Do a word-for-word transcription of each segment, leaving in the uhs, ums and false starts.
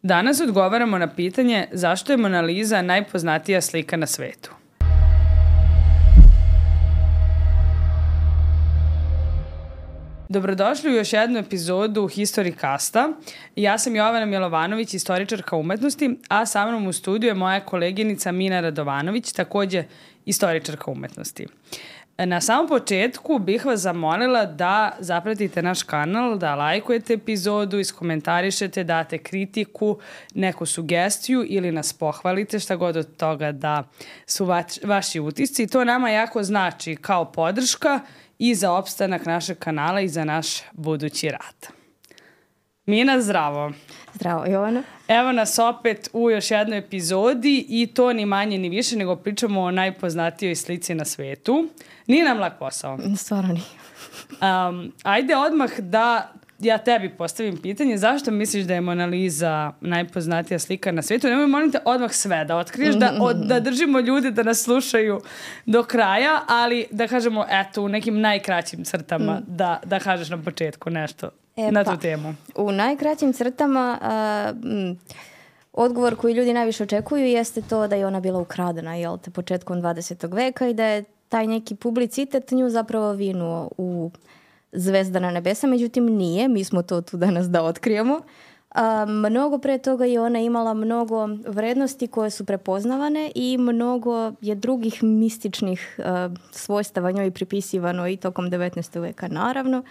Danas odgovaramo na pitanje zašto je Mona Lisa najpoznatija slika na svetu. Dobrodošli u još jednu epizodu Historicasta. Ja sam Jovana Milovanović, istoričarka umetnosti, a sa mnom u studiju je moja koleginica Mina Radovanović, takođe istoričarka umetnosti. Na samom početku bih vas zamolila da zapratite naš kanal, da lajkujete epizodu, iskomentarišete, date kritiku, neku sugestiju ili nas pohvalite, šta god od toga da su vač, vaši utisci. To nama jako znači kao podrška i za opstanak našeg kanala i za naš budući rad. Mina, zdravo. Zdravo, Jovana. Evo nas opet u još jednoj epizodi i to ni manje ni više nego pričamo o najpoznatijoj slici na svetu. Nije nam lak posao. Stvarno nije. Um, ajde odmah da ja tebi postavim pitanje. Zašto misliš da je Mona Lisa najpoznatija slika na svetu? Nemoj, molim te, odmah sve da otkriješ, da, od, da držimo ljude da nas slušaju do kraja, ali da kažemo, eto, u nekim najkraćim crtama mm. da, da kažeš na početku nešto e, na tu pa, temu. U najkraćim crtama a, m, odgovor koji ljudi najviše očekuju jeste to da je ona bila ukradena, jel te, početkom dvadesetog veka i da je taj neki publicitet nju zapravo vinuo u zvezdana nebesa, međutim nije, mi smo to tu danas da otkrijemo. A, mnogo pre toga je ona imala mnogo vrednosti koje su prepoznavane i mnogo je drugih mističnih a, svojstava njoj pripisivano i tokom devetnaestog veka naravno.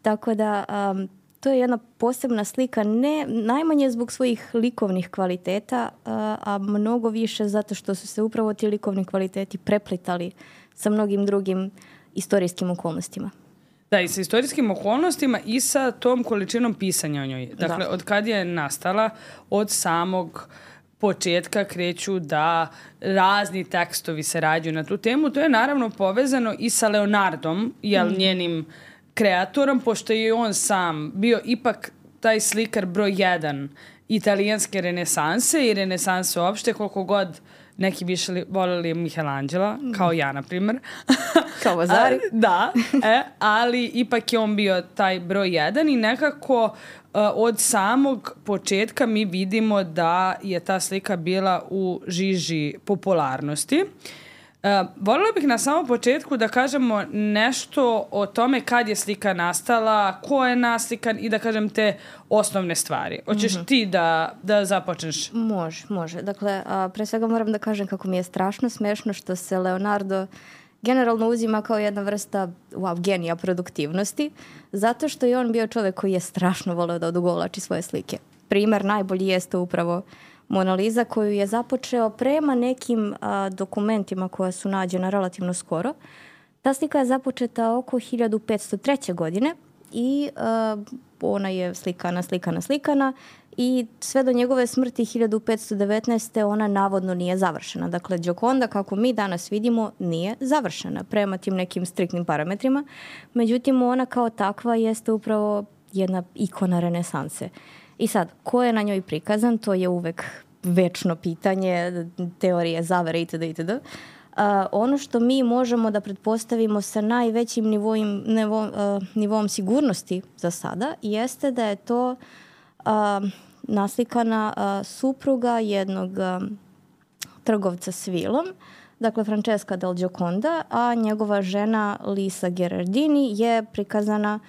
Tako da a, to je jedna posebna slika, ne najmanje zbog svojih likovnih kvaliteta, a, a mnogo više zato što su se upravo ti likovni kvaliteti preplitali sa mnogim drugim istorijskim okolnostima. Da, i sa istorijskim okolnostima i sa tom količinom pisanja o njoj. Dakle, da. Od kad je nastala, od samog početka kreću da razni tekstovi se rađaju na tu temu. To je naravno povezano i sa Leonardom, jel, mm. njenim kreatorom, pošto je on sam bio ipak taj slikar broj jedan italijanske renesanse i renesanse uopšte, koliko god neki više voleli Michelangela, kao ja, na primjer. Kao Vasari. Da, e, ali ipak je on bio taj broj jedan i nekako uh, od samog početka mi vidimo da je ta slika bila u žiži popularnosti. Uh, voljela bih na samom početku da kažemo nešto o tome kad je slika nastala, ko je naslikan i da kažem te osnovne stvari. Hoćeš mm-hmm. ti da, da započneš? Može, može. Dakle, a, pre svega moram da kažem kako mi je strašno smešno što se Leonardo generalno uzima kao jedna vrsta wow, genija produktivnosti, zato što je on bio čovjek koji je strašno voleo da odugovlači svoje slike. Primer najbolji jeste upravo Mona Lisa, koju je započeo prema nekim a, dokumentima koja su nađena relativno skoro. Ta slika je započeta oko hiljadu petsto treće. godine i a, ona je slikana, slikana, slikana i sve do njegove smrti hiljadu petsto devetnaeste. ona navodno nije završena. Dakle, Gioconda, kako mi danas vidimo, nije završena prema tim nekim striktnim parametrima. Međutim, ona kao takva jeste upravo jedna ikona renesanse. I sad, ko je na njoj prikazan, to je uvek večno pitanje, teorije zavere itd. itd. Uh, ono što mi možemo da pretpostavimo sa najvećim nivoim, nivo, uh, nivom sigurnosti za sada jeste da je to uh, naslikana uh, supruga jednog uh, trgovca s vilom, dakle Francesca del Gioconda, a njegova žena Lisa Gherardini je prikazana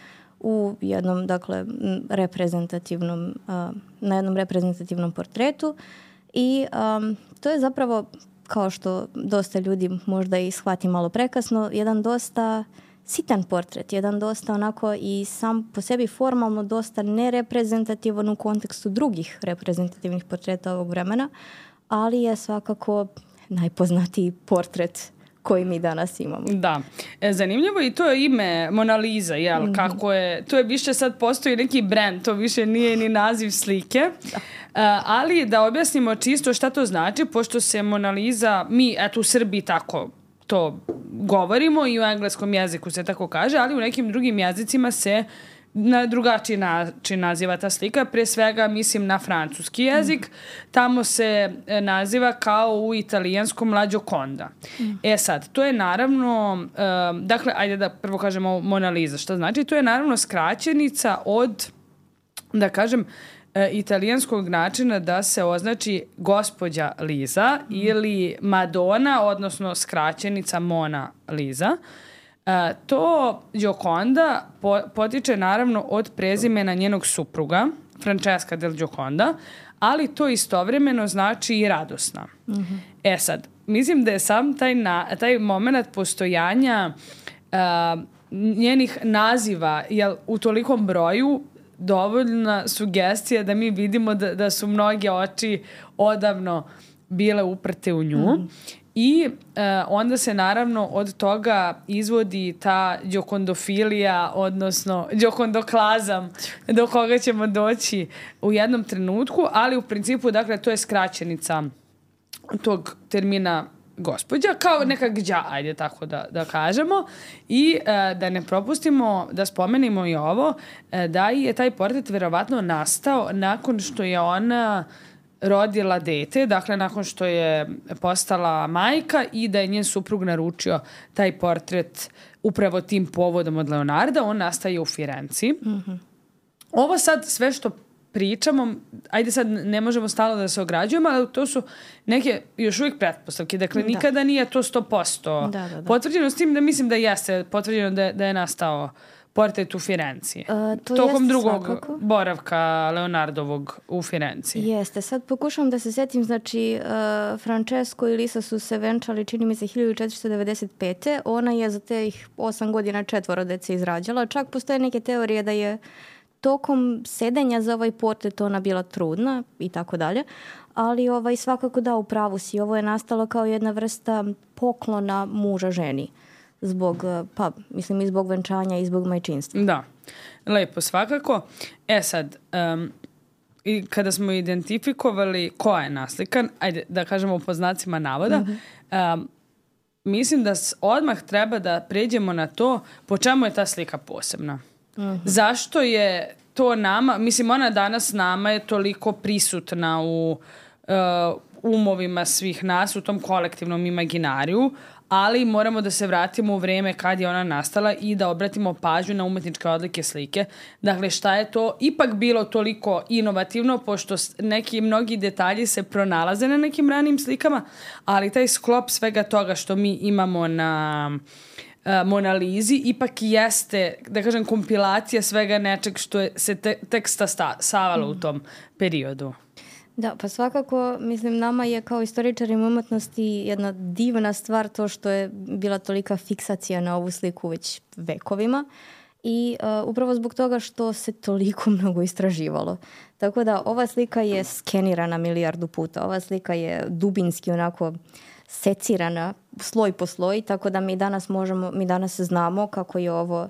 u jednom, dakle, reprezentativnom, uh, na jednom reprezentativnom portretu i um, to je zapravo, kao što dosta ljudi možda i shvati malo prekasno, jedan dosta sitan portret, jedan dosta onako i sam po sebi formalno dosta nereprezentativan u kontekstu drugih reprezentativnih portreta ovog vremena, ali je svakako najpoznatiji portret koji mi danas imamo. Da. E, zanimljivo i to je ime Mona Lisa, jel? Mm-hmm. Kako je, to je više sad postoji neki brand, to više nije ni naziv slike. Da. E, ali da objasnimo čisto šta to znači, pošto se Mona Lisa, mi eto u Srbiji tako to govorimo i u engleskom jeziku se tako kaže, ali u nekim drugim jezicima se na drugačiji način naziva ta slika. Pre svega mislim na francuski jezik. Mm. Tamo se naziva kao u italijanskom La Gioconda. Mm. E sad, to je naravno, um, dakle, ajde da prvo kažemo Mona Lisa. Šta znači? To je naravno skraćenica od, da kažem, e, italijanskog načina da se označi gospođa Liza mm. ili Madonna, odnosno skraćenica Mona Lisa. E, to Gioconda po, potiče naravno od prezimena njenog supruga, Francesca del Gioconda, ali to istovremeno znači i radosna. Mm-hmm. E sad, mislim da je sam taj, na, taj moment postojanja uh, njenih naziva jel, u tolikom broju dovoljna sugestija da mi vidimo da, da su mnoge oči odavno bile uprte u nju. Mm-hmm. I uh, onda se naravno od toga izvodi ta đokondofilija, odnosno đokondoklazam do koga ćemo doći u jednom trenutku, ali u principu, dakle, to je skraćenica tog termina gospođa, kao neka gđa, ajde tako da, da kažemo. I uh, da ne propustimo da spomenimo i ovo, uh, da je taj portret verovatno nastao nakon što je ona rodila dete, dakle nakon što je postala majka i da je njen suprug naručio taj portret upravo tim povodom od Leonarda, on nastaje u Firenci. Mm-hmm. Ovo sad sve što pričamo, ajde sad ne možemo stalno da se ograđujemo, ali to su neke još uvijek pretpostavke, dakle da. Nikada nije to sto posto da, da, da. potvrđeno, s tim da mislim da jeste potvrđeno da je, da je nastao portret u Firenci. Uh, to Tokom drugog svakako. boravka Leonardovog u Firenci. Jeste. Sad pokušavam da se setim, znači uh, Francesco i Lisa su se venčali, čini mi se, hiljadu četiristo devedeset pete. Ona je za teh osam godina četvoro dece izrađala. Čak postoje neke teorije da je tokom sedenja za ovaj portret ona bila trudna i tako dalje. Ali ovaj, svakako da, u pravu si. Ovo je nastalo kao jedna vrsta poklona muža ženi. Zbog, pa, mislim, i zbog venčanja i zbog majčinstva. Da, lepo, svakako. E sad, um, i kada smo identifikovali ko je naslikan, ajde da kažemo po znacima navoda, mm-hmm. um, mislim da odmah treba da pređemo na to po čemu je ta slika posebna. Mm-hmm. Zašto je to nama, mislim, ona danas nama je toliko prisutna u uh, umovima svih nas, u tom kolektivnom imaginariju, ali moramo da se vratimo u vreme kad je ona nastala i da obratimo pažnju na umetničke odlike slike. Dakle, šta je to ipak bilo toliko inovativno, pošto neki mnogi detalji se pronalaze na nekim ranim slikama, ali taj sklop svega toga što mi imamo na uh, Mona Lisi ipak jeste, da kažem, kompilacija svega nečeg što je se te, teksta savalo mm. u tom periodu. Da, pa svakako, mislim, nama je kao istoričarima umetnosti jedna divna stvar to što je bila tolika fiksacija na ovu sliku već vekovima i uh, upravo zbog toga što se toliko mnogo istraživalo. Tako da ova slika je skenirana milijardu puta, ova slika je dubinski onako secirana sloj po sloj, tako da mi danas možemo, mi danas znamo kako je ovo, uh,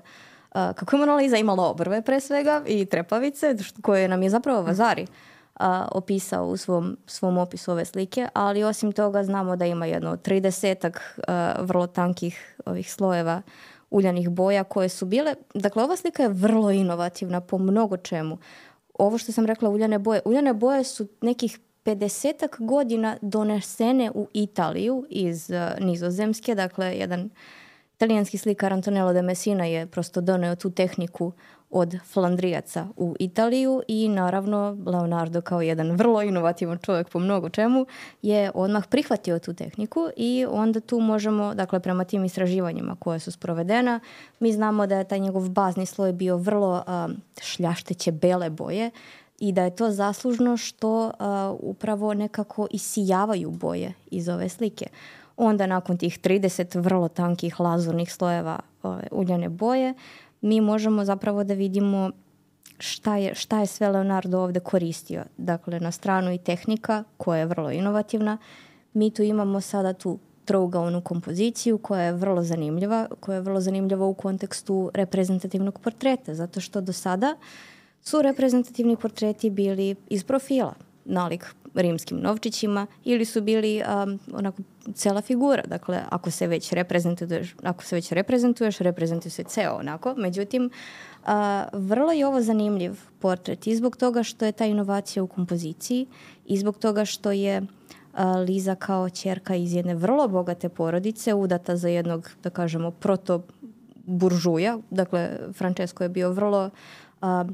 kako je Mona Lisa imala obrve pre svega i trepavice, koje nam je zapravo Vasari A, opisao u svom, svom opisu ove slike, ali osim toga znamo da ima jedno tridesetak a, vrlo tankih ovih slojeva uljanih boja koje su bile, dakle ova slika je vrlo inovativna po mnogo čemu. Ovo što sam rekla, uljane boje, uljane boje su nekih pedesetak godina donesene u Italiju iz a, Nizozemske, dakle jedan italijanski slikar Antonello de Messina je prosto doneo tu tehniku od Flandrijaca u Italiju i naravno Leonardo kao jedan vrlo inovativan čovjek po mnogo čemu je odmah prihvatio tu tehniku i onda tu možemo, dakle prema tim istraživanjima koje su sprovedena, mi znamo da je taj njegov bazni sloj bio vrlo um, šljašteće bele boje i da je to zaslužno što uh, upravo nekako isijavaju boje iz ove slike. Onda nakon tih trideset vrlo tankih lazurnih slojeva ove, uljane boje, mi možemo zapravo da vidimo šta je, šta je sve Leonardo ovdje koristio. Dakle, na stranu i tehnika koja je vrlo inovativna. Mi tu imamo sada tu trougaonu kompoziciju koja je vrlo zanimljiva, koja je vrlo zanimljiva u kontekstu reprezentativnog portreta, zato što do sada su reprezentativni portreti bili iz profila, nalik rimskim novčićima ili su bili um, onako cela figura. Dakle, ako se već reprezentuješ, ako se već reprezentuješ, reprezentuje se ceo onako. Međutim, uh, vrlo je ovo zanimljiv portret i zbog toga što je ta inovacija u kompoziciji i zbog toga što je uh, Liza kao ćerka iz jedne vrlo bogate porodice udata za jednog, da kažemo, proto buržuja. Dakle, Francesco je bio vrlo a,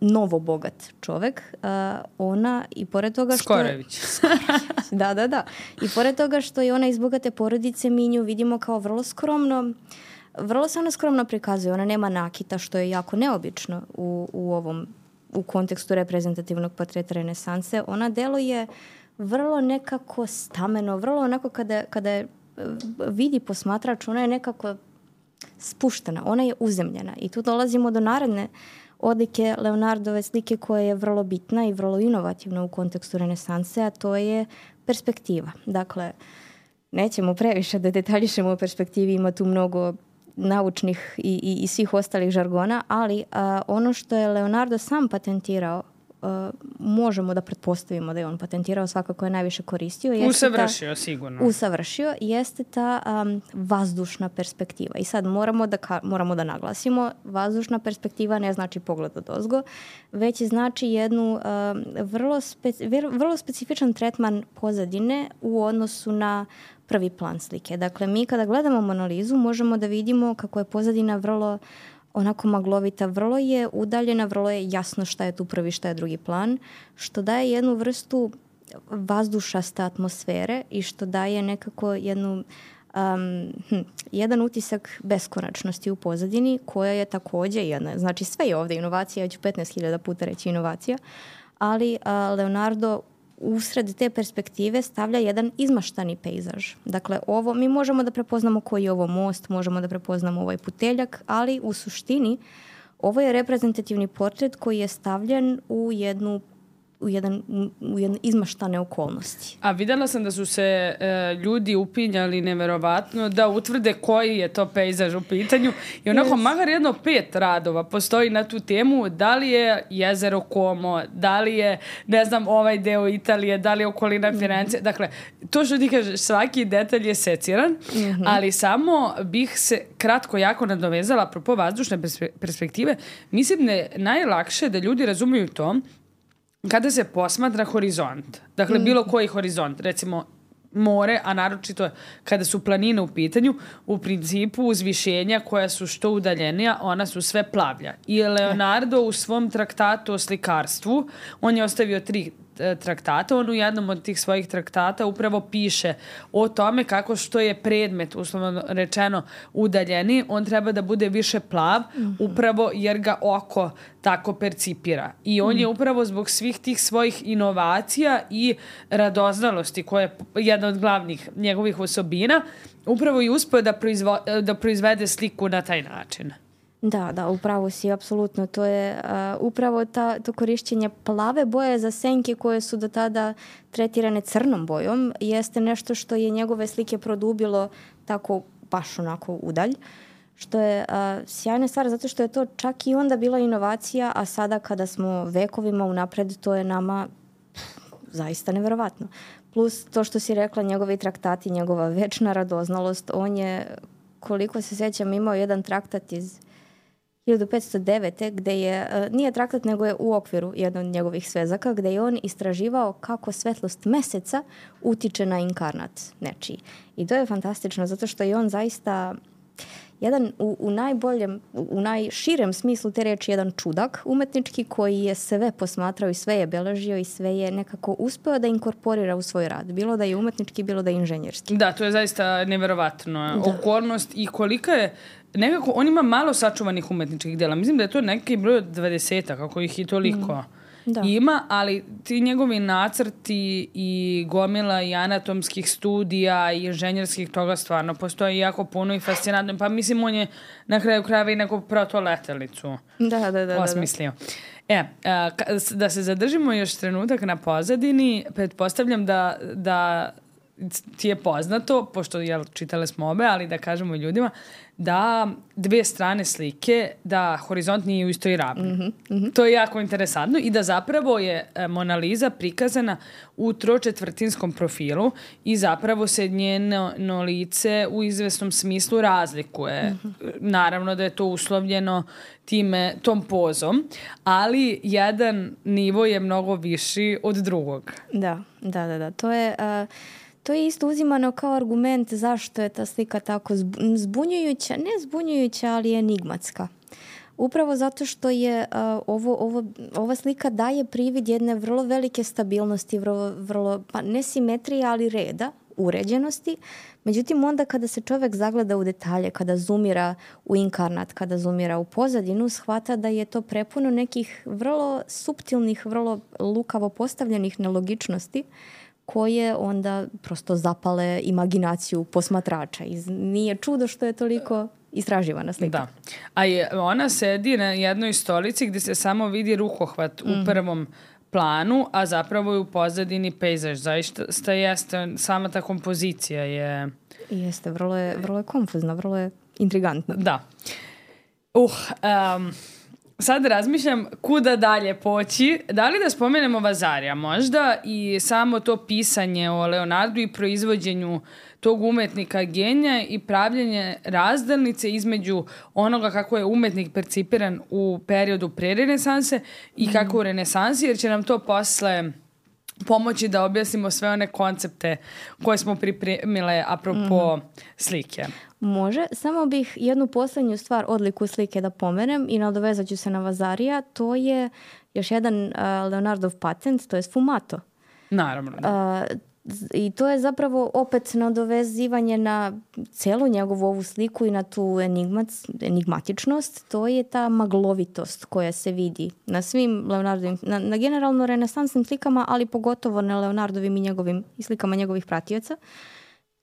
novo bogat čovek, a, ona i pored toga što... Skorojević. Da, da, da. I pored toga što je ona iz bogate porodice, mi nju vidimo kao vrlo skromno, vrlo se ona skromno prikazuje. Ona nema nakita, što je jako neobično u, u ovom, u kontekstu reprezentativnog portreta renesanse. Ona deluje vrlo nekako stameno, vrlo onako kada, kada je vidi posmatrač, ona je nekako spuštena, ona je uzemljena. I tu dolazimo do naredne odlike Leonardove slike koja je vrlo bitna i vrlo inovativna u kontekstu renesanse, a to je perspektiva. Dakle, nećemo previše da detaljišemo o perspektivi, ima tu mnogo naučnih i, i, i svih ostalih žargona, ali a, ono što je Leonardo sam patentirao, Uh, možemo da pretpostavimo da je on patentirao, svakako je najviše koristio. Jeste usavršio, ta, sigurno. Usavršio, jeste ta um, vazdušna perspektiva. I sad moramo da, ka, moramo da naglasimo, vazdušna perspektiva ne znači pogled odozgo, već znači jednu um, vrlo, speci, vrlo specifičan tretman pozadine u odnosu na prvi plan slike. Dakle, mi kada gledamo Mona Lizu možemo da vidimo kako je pozadina vrlo onako maglovita, vrlo je udaljena, vrlo je jasno šta je tu prvi, šta je drugi plan, što daje jednu vrstu vazdušaste atmosfere i što daje nekako jednu, um, hm, jedan utisak beskonačnosti u pozadini, koja je takođe jedna, znači sve je ovde inovacija, ja ću petnaest hiljada puta reći inovacija, ali uh, Leonardo usred te perspektive stavlja jedan izmaštani pejzaž. Dakle, ovo, mi možemo da prepoznamo koji je ovo most, možemo da prepoznamo ovaj puteljak, ali u suštini ovo je reprezentativni portret koji je stavljen u jednu u, jedan, u jedne izmaštane okolnosti. A videla sam da su se e, ljudi upinjali neverovatno da utvrde koji je to pejzaž u pitanju i onako yes. makar jedno pet radova postoji na tu temu, da li je jezero Como, da li je, ne znam, ovaj deo Italije, da li je okolina Firence. Mm-hmm. Dakle, to što ti kažeš, svaki detalj je seciran, mm-hmm. ali samo bih se kratko jako nadovezala apropo vazdušne perspektive. Mislim da je najlakše da ljudi razumiju to kada se posmatra horizont, dakle mm. bilo koji horizont, recimo more, a naročito kada su planine u pitanju, u principu uzvišenja koja su što udaljenija, ona su sve plavlja. I Leonardo u svom traktatu o slikarstvu, on je ostavio tri traktata, on u jednom od tih svojih traktata upravo piše o tome kako što je predmet, uslovno rečeno, udaljeni, on treba da bude više plav, mm-hmm. upravo jer ga oko tako percipira. I on mm. je upravo zbog svih tih svojih inovacija i radoznalosti, koja je jedna od glavnih njegovih osobina, upravo i uspeo da, proizvo, da proizvede sliku na taj način. Da, da, upravo si, apsolutno. To je uh, upravo ta, to korišćenje plave boje za senke koje su do tada tretirane crnom bojom, jeste nešto što je njegove slike produbilo tako baš onako udalj, što je uh, sjajna stvar, zato što je to čak i onda bila inovacija, a sada kada smo vekovima unapred, to je nama pff, zaista neverovatno. Plus to što si rekla, njegovi traktati, njegova večna radoznalost, on je, koliko se sjećam, imao jedan traktat iz hiljadu petsto devete gde je, nije traktat nego je u okviru jedan od njegovih svezaka, gde je on istraživao kako svetlost meseca utiče na inkarnat nečiji. I to je fantastično zato što je on zaista jedan u, u najboljem, u najširem smislu te reči jedan čudak umetnički koji je sve posmatrao i sve je beležio i sve je nekako uspeo da inkorporira u svoj rad. Bilo da je umetnički, bilo da je inženjerski. Da, to je zaista neverovatno. Da. Okolnost i kolika je nekako, on ima malo sačuvanih umetničkih dela. Mislim da je to neki broj dvadeseta, kako ih i toliko mm, da. ima, ali ti njegovi nacrti i gomila i anatomskih studija i inženjerskih toga stvarno postoji jako puno i fascinantno. Pa mislim, on je na kraju krajeva i neku protoletelicu da, da, da, osmislio. Da, da. E, a, da se zadržimo još trenutak na pozadini, pretpostavljam da, da ti je poznato, pošto jel, čitale smo obe, ali da kažemo ljudima, da dve strane slike, da horizont nije u istoj ravni. Mm-hmm, mm-hmm. To je jako interesantno i da zapravo je Mona Lisa prikazana u tročetvrtinskom profilu i zapravo se njeno no lice u izvesnom smislu razlikuje. Mm-hmm. Naravno da je to uslovljeno time, tom pozom, ali jedan nivo je mnogo viši od drugog. Da, da, da. da. To je... Uh... To je isto uzimano kao argument zašto je ta slika tako zbunjujuća, ne zbunjujuća, ali enigmatska. Upravo zato što je uh, ovo, ovo, ova slika daje privid jedne vrlo velike stabilnosti, vrlo, vrlo pa ne simetrije, ali reda, uređenosti. Međutim, onda kada se čovjek zagleda u detalje, kada zoomira u inkarnat, kada zoomira u pozadinu, shvata da je to prepuno nekih vrlo suptilnih, vrlo lukavo postavljenih nelogičnosti koje onda prosto zapale imaginaciju posmatrača. I nije čudo što je toliko istraživana slika. Da. A je, ona sedi na jednoj stolici gdje se samo vidi rukohvat mm-hmm. u prvom planu, a zapravo je u pozadini pejzaž. Zaista jeste, sama ta kompozicija je... Jeste, vrlo je, vrlo je konfuzna, vrlo je intrigantna. Da. Uh, um, sad razmišljam kuda dalje poći. Da li da spomenemo Vasarija možda i samo to pisanje o Leonardu i proizvođenju tog umetnika genija i pravljenje razdalnice između onoga kako je umetnik percipiran u periodu pre renesanse i kako u renesansi, jer će nam to posle pomoći da objasnimo sve one koncepte koje smo pripremile apropo mm. slike. Može. Samo bih jednu posljednju stvar, odliku slike da pomenem i nadovezat ću se na Vasarija. To je još jedan uh, Leonardov patent, to je sfumato. Naravno. Da. Uh, I to je zapravo opet nadovezivanje na celu njegovu ovu sliku i na tu enigmac, enigmatičnost. To je ta maglovitost koja se vidi na svim Leonardovim, na, na generalno renesansnim slikama, ali pogotovo na Leonardovim i njegovim i slikama njegovih pratioca.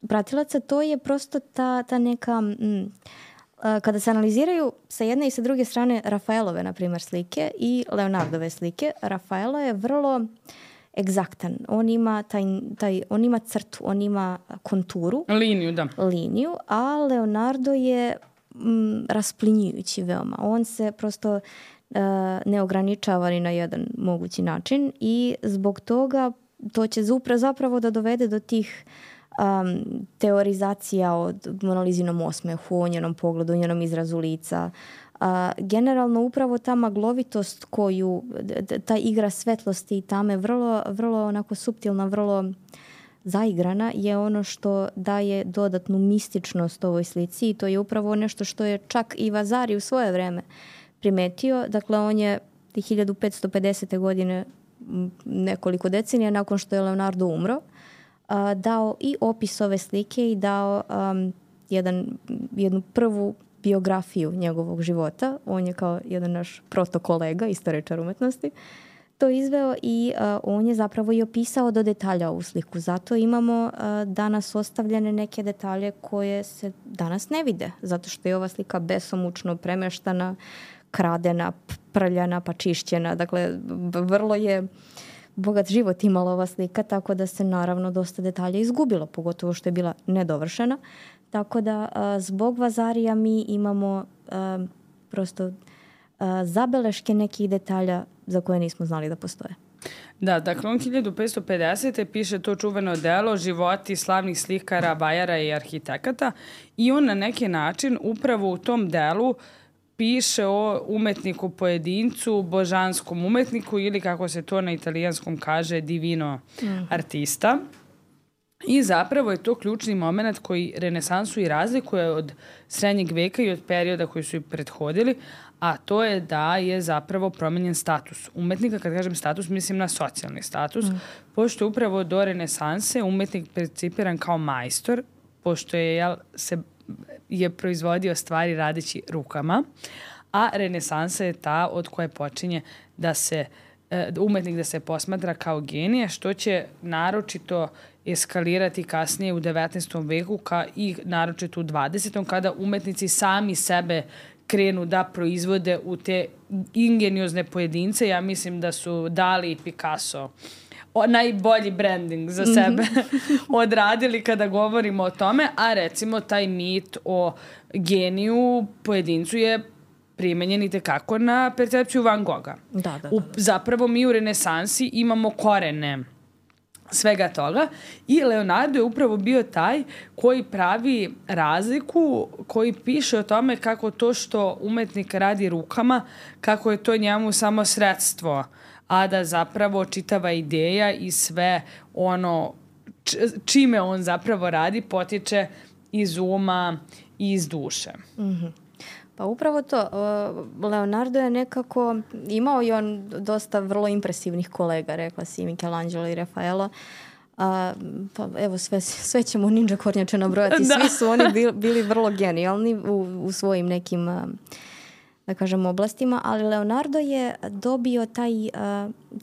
Pratilaca, to je prosto ta, ta neka... Mm, kada se analiziraju sa jedne i sa druge strane Rafaelove, na primjer, slike i Leonardove slike, Rafaelo je vrlo egzaktan. On ima, taj, taj, on ima crtu, on ima konturu. Liniju, da. Liniju, a Leonardo je mm, rasplinjujući veoma. On se prosto uh, ne ograničava ni na jedan mogući način i zbog toga to će zapravo da dovede do tih um, teorizacija od Monalizinom osmehu, o njenom pogledu, o njenom izrazu lica. Uh, generalno upravo ta maglovitost koju, ta igra svetlosti i tame vrlo, vrlo onako suptilna, vrlo zaigrana je ono što daje dodatnu mističnost ovoj slici i to je upravo nešto što je čak i Vasari u svoje vreme primetio. Dakle, on je hiljadu petsto pedesete godine, nekoliko decenija nakon što je Leonardo umro, uh, dao i opis ove slike i dao um, jedan, jednu prvu biografiju njegovog života. On je kao jedan naš protokolega, istoričar umetnosti, to izveo i uh, on je zapravo i opisao do detalja ovu sliku. Zato imamo uh, danas ostavljene neke detalje koje se danas ne vide, zato što je ova slika besomučno premeštana, kradena, prljana, pa čišćena. Dakle, vrlo je bogat život imala ova slika, tako da se naravno dosta detalja izgubilo, pogotovo što je bila nedovršena. Tako da a, zbog Vasarija mi imamo a, prosto a, zabeleške nekih detalja za koje nismo znali da postoje. Da, dakle on hiljadu petsto pedesete piše to čuveno delo Životi slavnih slikara, vajara i arhitekata i on na neki način upravo u tom delu piše o umetniku pojedincu, božanskom umetniku ili kako se to na italijanskom kaže divino mm. artista. I zapravo je to ključni moment koji renesansu i razlikuje od srednjeg veka i od perioda koji su i prethodili, a to je da je zapravo promenjen status umetnika. Kad kažem status, mislim na socijalni status, mm. pošto upravo do renesanse umetnik percipiran kao majstor, pošto je, jel, se, je proizvodio stvari radeći rukama, a renesansa je ta od koje počinje da se umetnik da se posmatra kao genije, što će naročito eskalirati kasnije u devetnaestom veku ka, i naročito u dvadesetom kada umetnici sami sebe krenu da proizvode u te ingeniozne pojedince. Ja mislim da su Dali i Picasso o, najbolji branding za sebe odradili kada govorimo o tome, a recimo taj mit o geniju pojedincu je primenjen i tekako na percepciju Van Gogha. Da, da, da. U, zapravo mi u renesansi imamo korene svega toga i Leonardo je upravo bio taj koji pravi razliku, koji piše o tome kako to što umetnik radi rukama, kako je to njemu samo sredstvo, a da zapravo čitava ideja i sve ono čime on zapravo radi potiče iz uma i iz duše. Mhm. Pa upravo to. Leonardo je nekako, imao i on dosta vrlo impresivnih kolega, rekla si Michelangelo i Rafaelo. A, pa evo sve, sve ćemo ninja kornjače nabrojati. Svi su oni bili, bili vrlo genijalni u, u svojim nekim, da kažem, oblastima, ali Leonardo je dobio taj,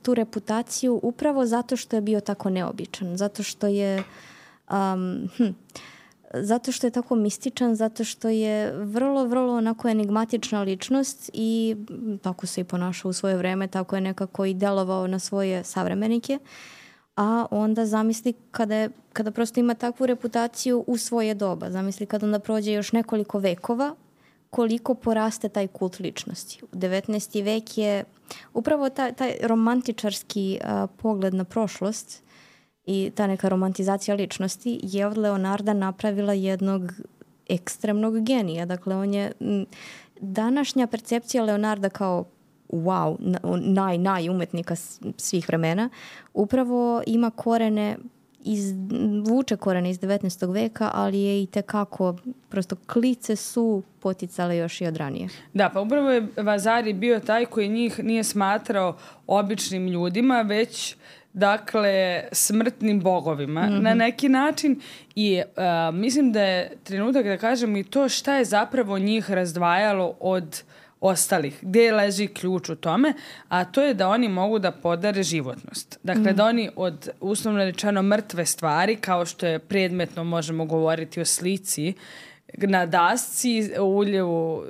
tu reputaciju upravo zato što je bio tako neobičan, zato što je um, hm, zato što je tako mističan, zato što je vrlo, vrlo onako enigmatična ličnost i tako se i ponašao u svoje vreme, tako je nekako i delovao na svoje savremenike. A onda zamisli kada, je, kada prosto ima takvu reputaciju u svoje doba. Zamisli kada onda prođe još nekoliko vekova, koliko poraste taj kult ličnosti. devetnaesti vek je upravo taj, taj romantičarski a, pogled na prošlost i ta neka romantizacija ličnosti je od Leonarda napravila jednog ekstremnog genija. Dakle, on je m, današnja percepcija Leonarda kao wow, naj, naj umetnika svih vremena, upravo ima korene iz, vuče korene iz devetnaestog veka, ali je i tekako, prosto klice su poticale još i od ranije. Da, pa upravo je Vasari bio taj koji njih nije smatrao običnim ljudima, već dakle smrtnim bogovima mm-hmm. na neki način i uh, mislim da je trenutak da kažem i to šta je zapravo njih razdvajalo od ostalih, gdje leži ključ u tome, a to je da oni mogu da podare životnost. Dakle, mm. da oni od uslovno rečeno mrtve stvari, kao što je predmetno možemo govoriti o slici, na dasci uljevu,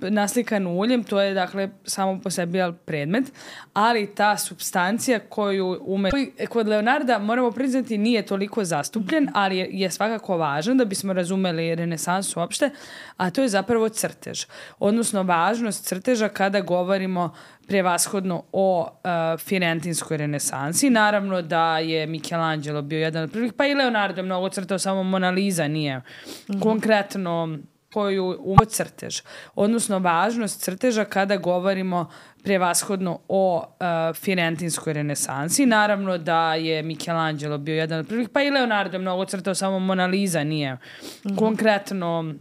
naslikanu uljem, to je dakle samo po sebi predmet, ali ta supstancija koju ume... Kod Leonarda, moramo priznati, nije toliko zastupljen, ali je, je svakako važan da bismo razumeli renesansu uopšte, a to je zapravo crtež. Odnosno, važnost crteža kada govorimo prevashodno o uh, firentinskoj renesansi. Naravno da je Michelangelo bio jedan od prvih, pa i Leonardo je mnogo crtao, samo Mona Lisa nije mm-hmm. konkretno koju umo crtež. Odnosno, važnost crteža kada govorimo prevashodno o uh, firentinskoj renesansi. Naravno da je Michelangelo bio jedan od prvih, pa i Leonardo je mnogo crtao, samo Mona Lisa nije mm-hmm. konkretno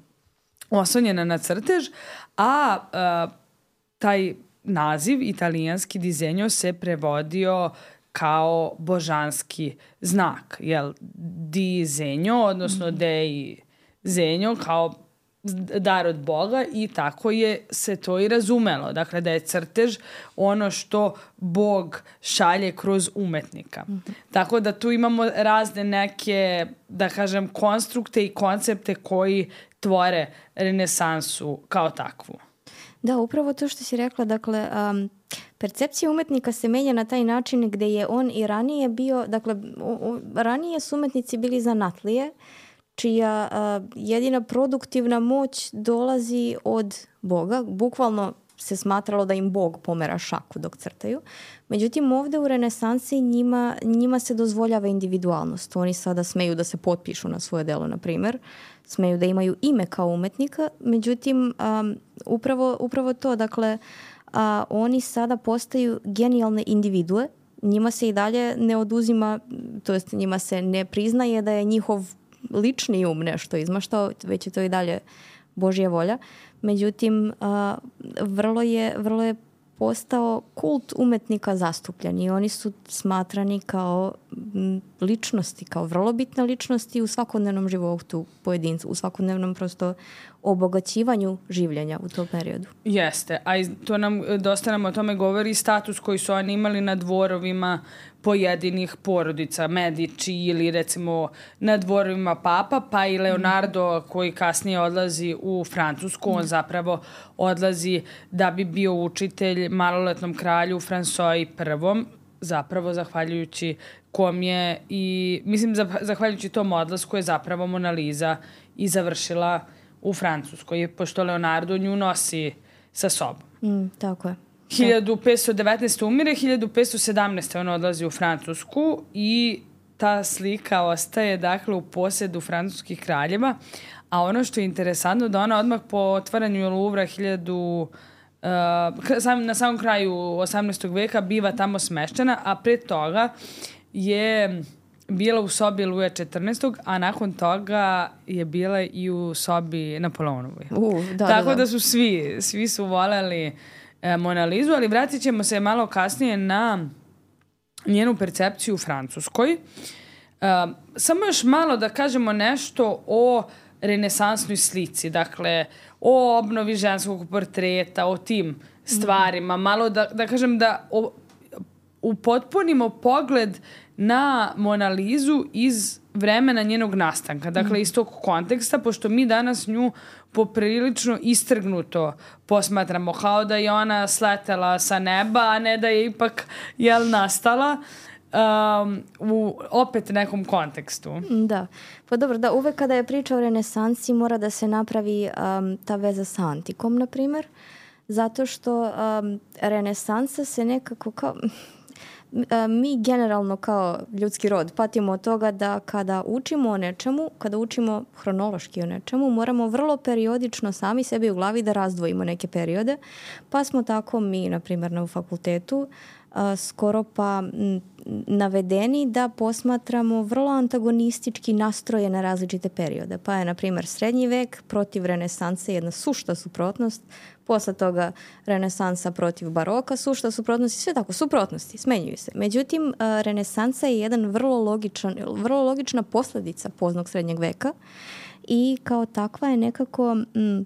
oslonjena na crtež, a uh, taj naziv italijanski dizenjo se prevodio kao božanski znak, jel? Dizenjo, odnosno dei zenjo, kao dar od Boga i tako je se to i razumelo. Dakle, da je crtež ono što Bog šalje kroz umetnika. Mm-hmm. Tako da tu imamo razne neke, da kažem, konstrukte i koncepte koji tvore renesansu kao takvu. Da, upravo to što si rekla, dakle, um, percepcija umetnika se menja na taj način gde je on i ranije bio, dakle, o, o, ranije su umetnici bili zanatlije, čija uh, jedina produktivna moć dolazi od Boga. Bukvalno se smatralo da im Bog pomera šaku dok crtaju. Međutim, ovde u renesansi njima, njima se dozvoljava individualnost. Oni sada smeju da se potpišu na svoje delo, na primjer. Smeju da imaju ime kao umetnika. Međutim, um, upravo, upravo to, dakle, uh, oni sada postaju genijalne individue. Njima se i dalje ne oduzima, to jest njima se ne priznaje da je njihov lični um nešto izmaštao, već je to i dalje Božja volja. Međutim, uh, vrlo je, vrlo je postao kult umetnika zastupljen i oni su smatrani kao ličnosti, kao vrlo bitne ličnosti u svakodnevnom životu pojedinca, u svakodnevnom prosto obogaćivanju življenja u tom periodu. Jeste, a to nam, dosta nam o tome govori status koji su oni imali na dvorovima pojedinih porodica, Medici ili recimo na dvorovima papa, pa i Leonardo koji kasnije odlazi u Francusku, on zapravo odlazi da bi bio učitelj maloletnom kralju François prvom, zapravo zahvaljujući kom je i, mislim, zahvaljujući tom odlasku je zapravo Mona Lisa i završila u Francuskoj, pošto Leonardo nju nosi sa sobom. Mm, tako je. hiljadu petsto devetnaeste. umire, hiljadu petsto sedamnaeste. on odlazi u Francusku i ta slika ostaje dakle u posjedu francuskih kraljeva, a ono što je interesantno da ona odmah po otvaranju Louvra hiljadu Uh, sam, na samom kraju osamnaestog veka biva tamo smešćena, a pre toga je bila u sobi Luja četrnaestog, a nakon toga je bila i u sobi Napoleonovoj. Uh, da, Tako da, da. da su svi, svi su voljeli e, Mona Lizu, ali vratit ćemo se malo kasnije na njenu percepciju u Francuskoj. E, samo još malo da kažemo nešto o renesansnoj slici, dakle, o obnovi ženskog portreta, o tim stvarima, mm. malo da, da kažem da o, upotpunimo pogled na Mona Lizu iz vremena njenog nastanka, dakle mm. iz tog konteksta, pošto mi danas nju poprilično istrgnuto posmatramo, kao da je ona sletela sa neba, a ne da je ipak jel, nastala um, u opet nekom kontekstu. Da, pa dobro, da uvek kada je priča o renesansi mora da se napravi um, ta veza sa antikom, na primjer, zato što um, renesansa se nekako kao... Mi generalno kao ljudski rod patimo od toga da kada učimo o nečemu, kada učimo hronološki o nečemu, moramo vrlo periodično sami sebi u glavi da razdvojimo neke periode. Pa smo tako mi, na primjer, na fakultetu skoro pa navedeni da posmatramo vrlo antagonistički nastroje na različite periode. Pa je, na primjer, srednji vek protiv renesanse jedna sušta suprotnost, posle toga renesansa protiv baroka, sušta suprotnost i sve tako, suprotnosti, smenjuju se. Međutim, renesansa je jedan vrlo, logičan, vrlo logična posljedica poznog srednjeg veka i kao takva je nekako... Mm,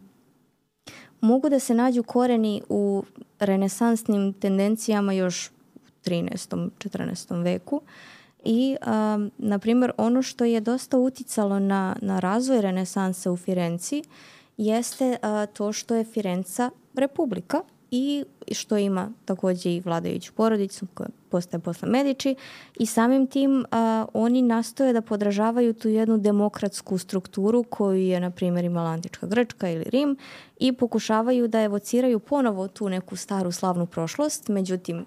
mogu da se nađu koreni u renesansnim tendencijama još u trinaestom četrnaestom veku i, um, na primjer, ono što je dosta uticalo na, na razvoj renesanse u Firenci jeste uh, to što je Firenca republika i što ima također i vladajuću porodicu koja postaje posle Medici i samim tim uh, oni nastoje da podražavaju tu jednu demokratsku strukturu koju je, na primjer, imala antička Grčka ili Rim i pokušavaju da evociraju ponovo tu neku staru slavnu prošlost, međutim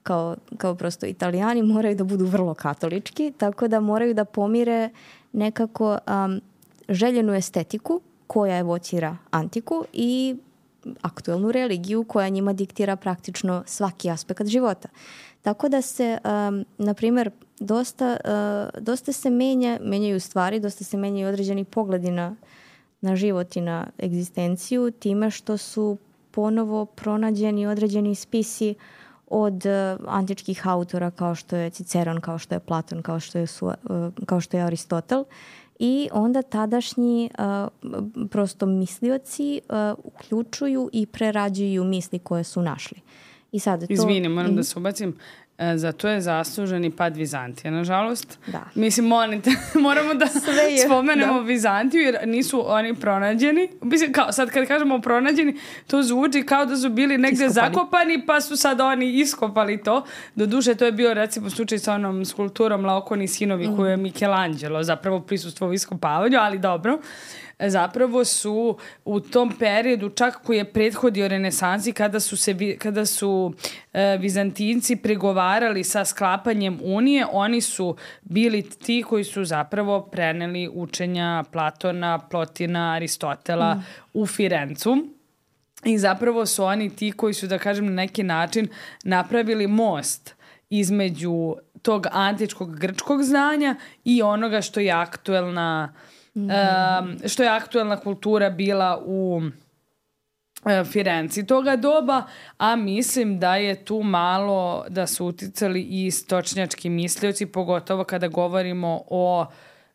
kao, kao prosto Italijani moraju da budu vrlo katolički, tako da moraju da pomire nekako um, željenu estetiku koja evocira antiku i aktuelnu religiju koja njima diktira praktično svaki aspekt života. Tako da se, um, na primjer, dosta, uh, dosta se menja, menjaju stvari, dosta se menjaju određeni pogledi na, na život i na egzistenciju time što su ponovo pronađeni određeni spisi od uh, antičkih autora kao što je Ciceron, kao što je Platon, kao što je, su, uh, kao što je Aristotel. I onda tadašnji uh, prosto mislioci uh, uključuju i prerađuju misli koje su našli. I sad to... Izvini, moram mm. da se ubacim. E, za to je zaslužen i pad Vizantije, nažalost. Da. Mislim, monite, moramo da spomenemo da. Vizantiju, jer nisu oni pronađeni. Mislim, kao, sad kad kažemo pronađeni, to zvuči kao da su bili negde iskopani. Zakopani, pa su sad oni iskopali to. Doduše, to je bio, recimo, slučaj sa onom skulpturom Laokoni sinovi, mm. koju je Michelangelo zapravo prisustvovao iskopavanju, ali dobro. Zapravo su u tom periodu, čak koji je prethodio renesansi, kada su, se, kada su e, Vizantinci pregovarali sa sklapanjem unije, oni su bili ti koji su zapravo preneli učenja Platona, Plotina, Aristotela mm. u Firencu. I zapravo su oni ti koji su, da kažem, na neki način napravili most između tog antičkog grčkog znanja i onoga što je aktuelna Mm. Um, što je aktuelna kultura bila u uh, Firenci toga doba, a mislim da je tu malo da su uticali i istočnjački mislioci, pogotovo kada govorimo o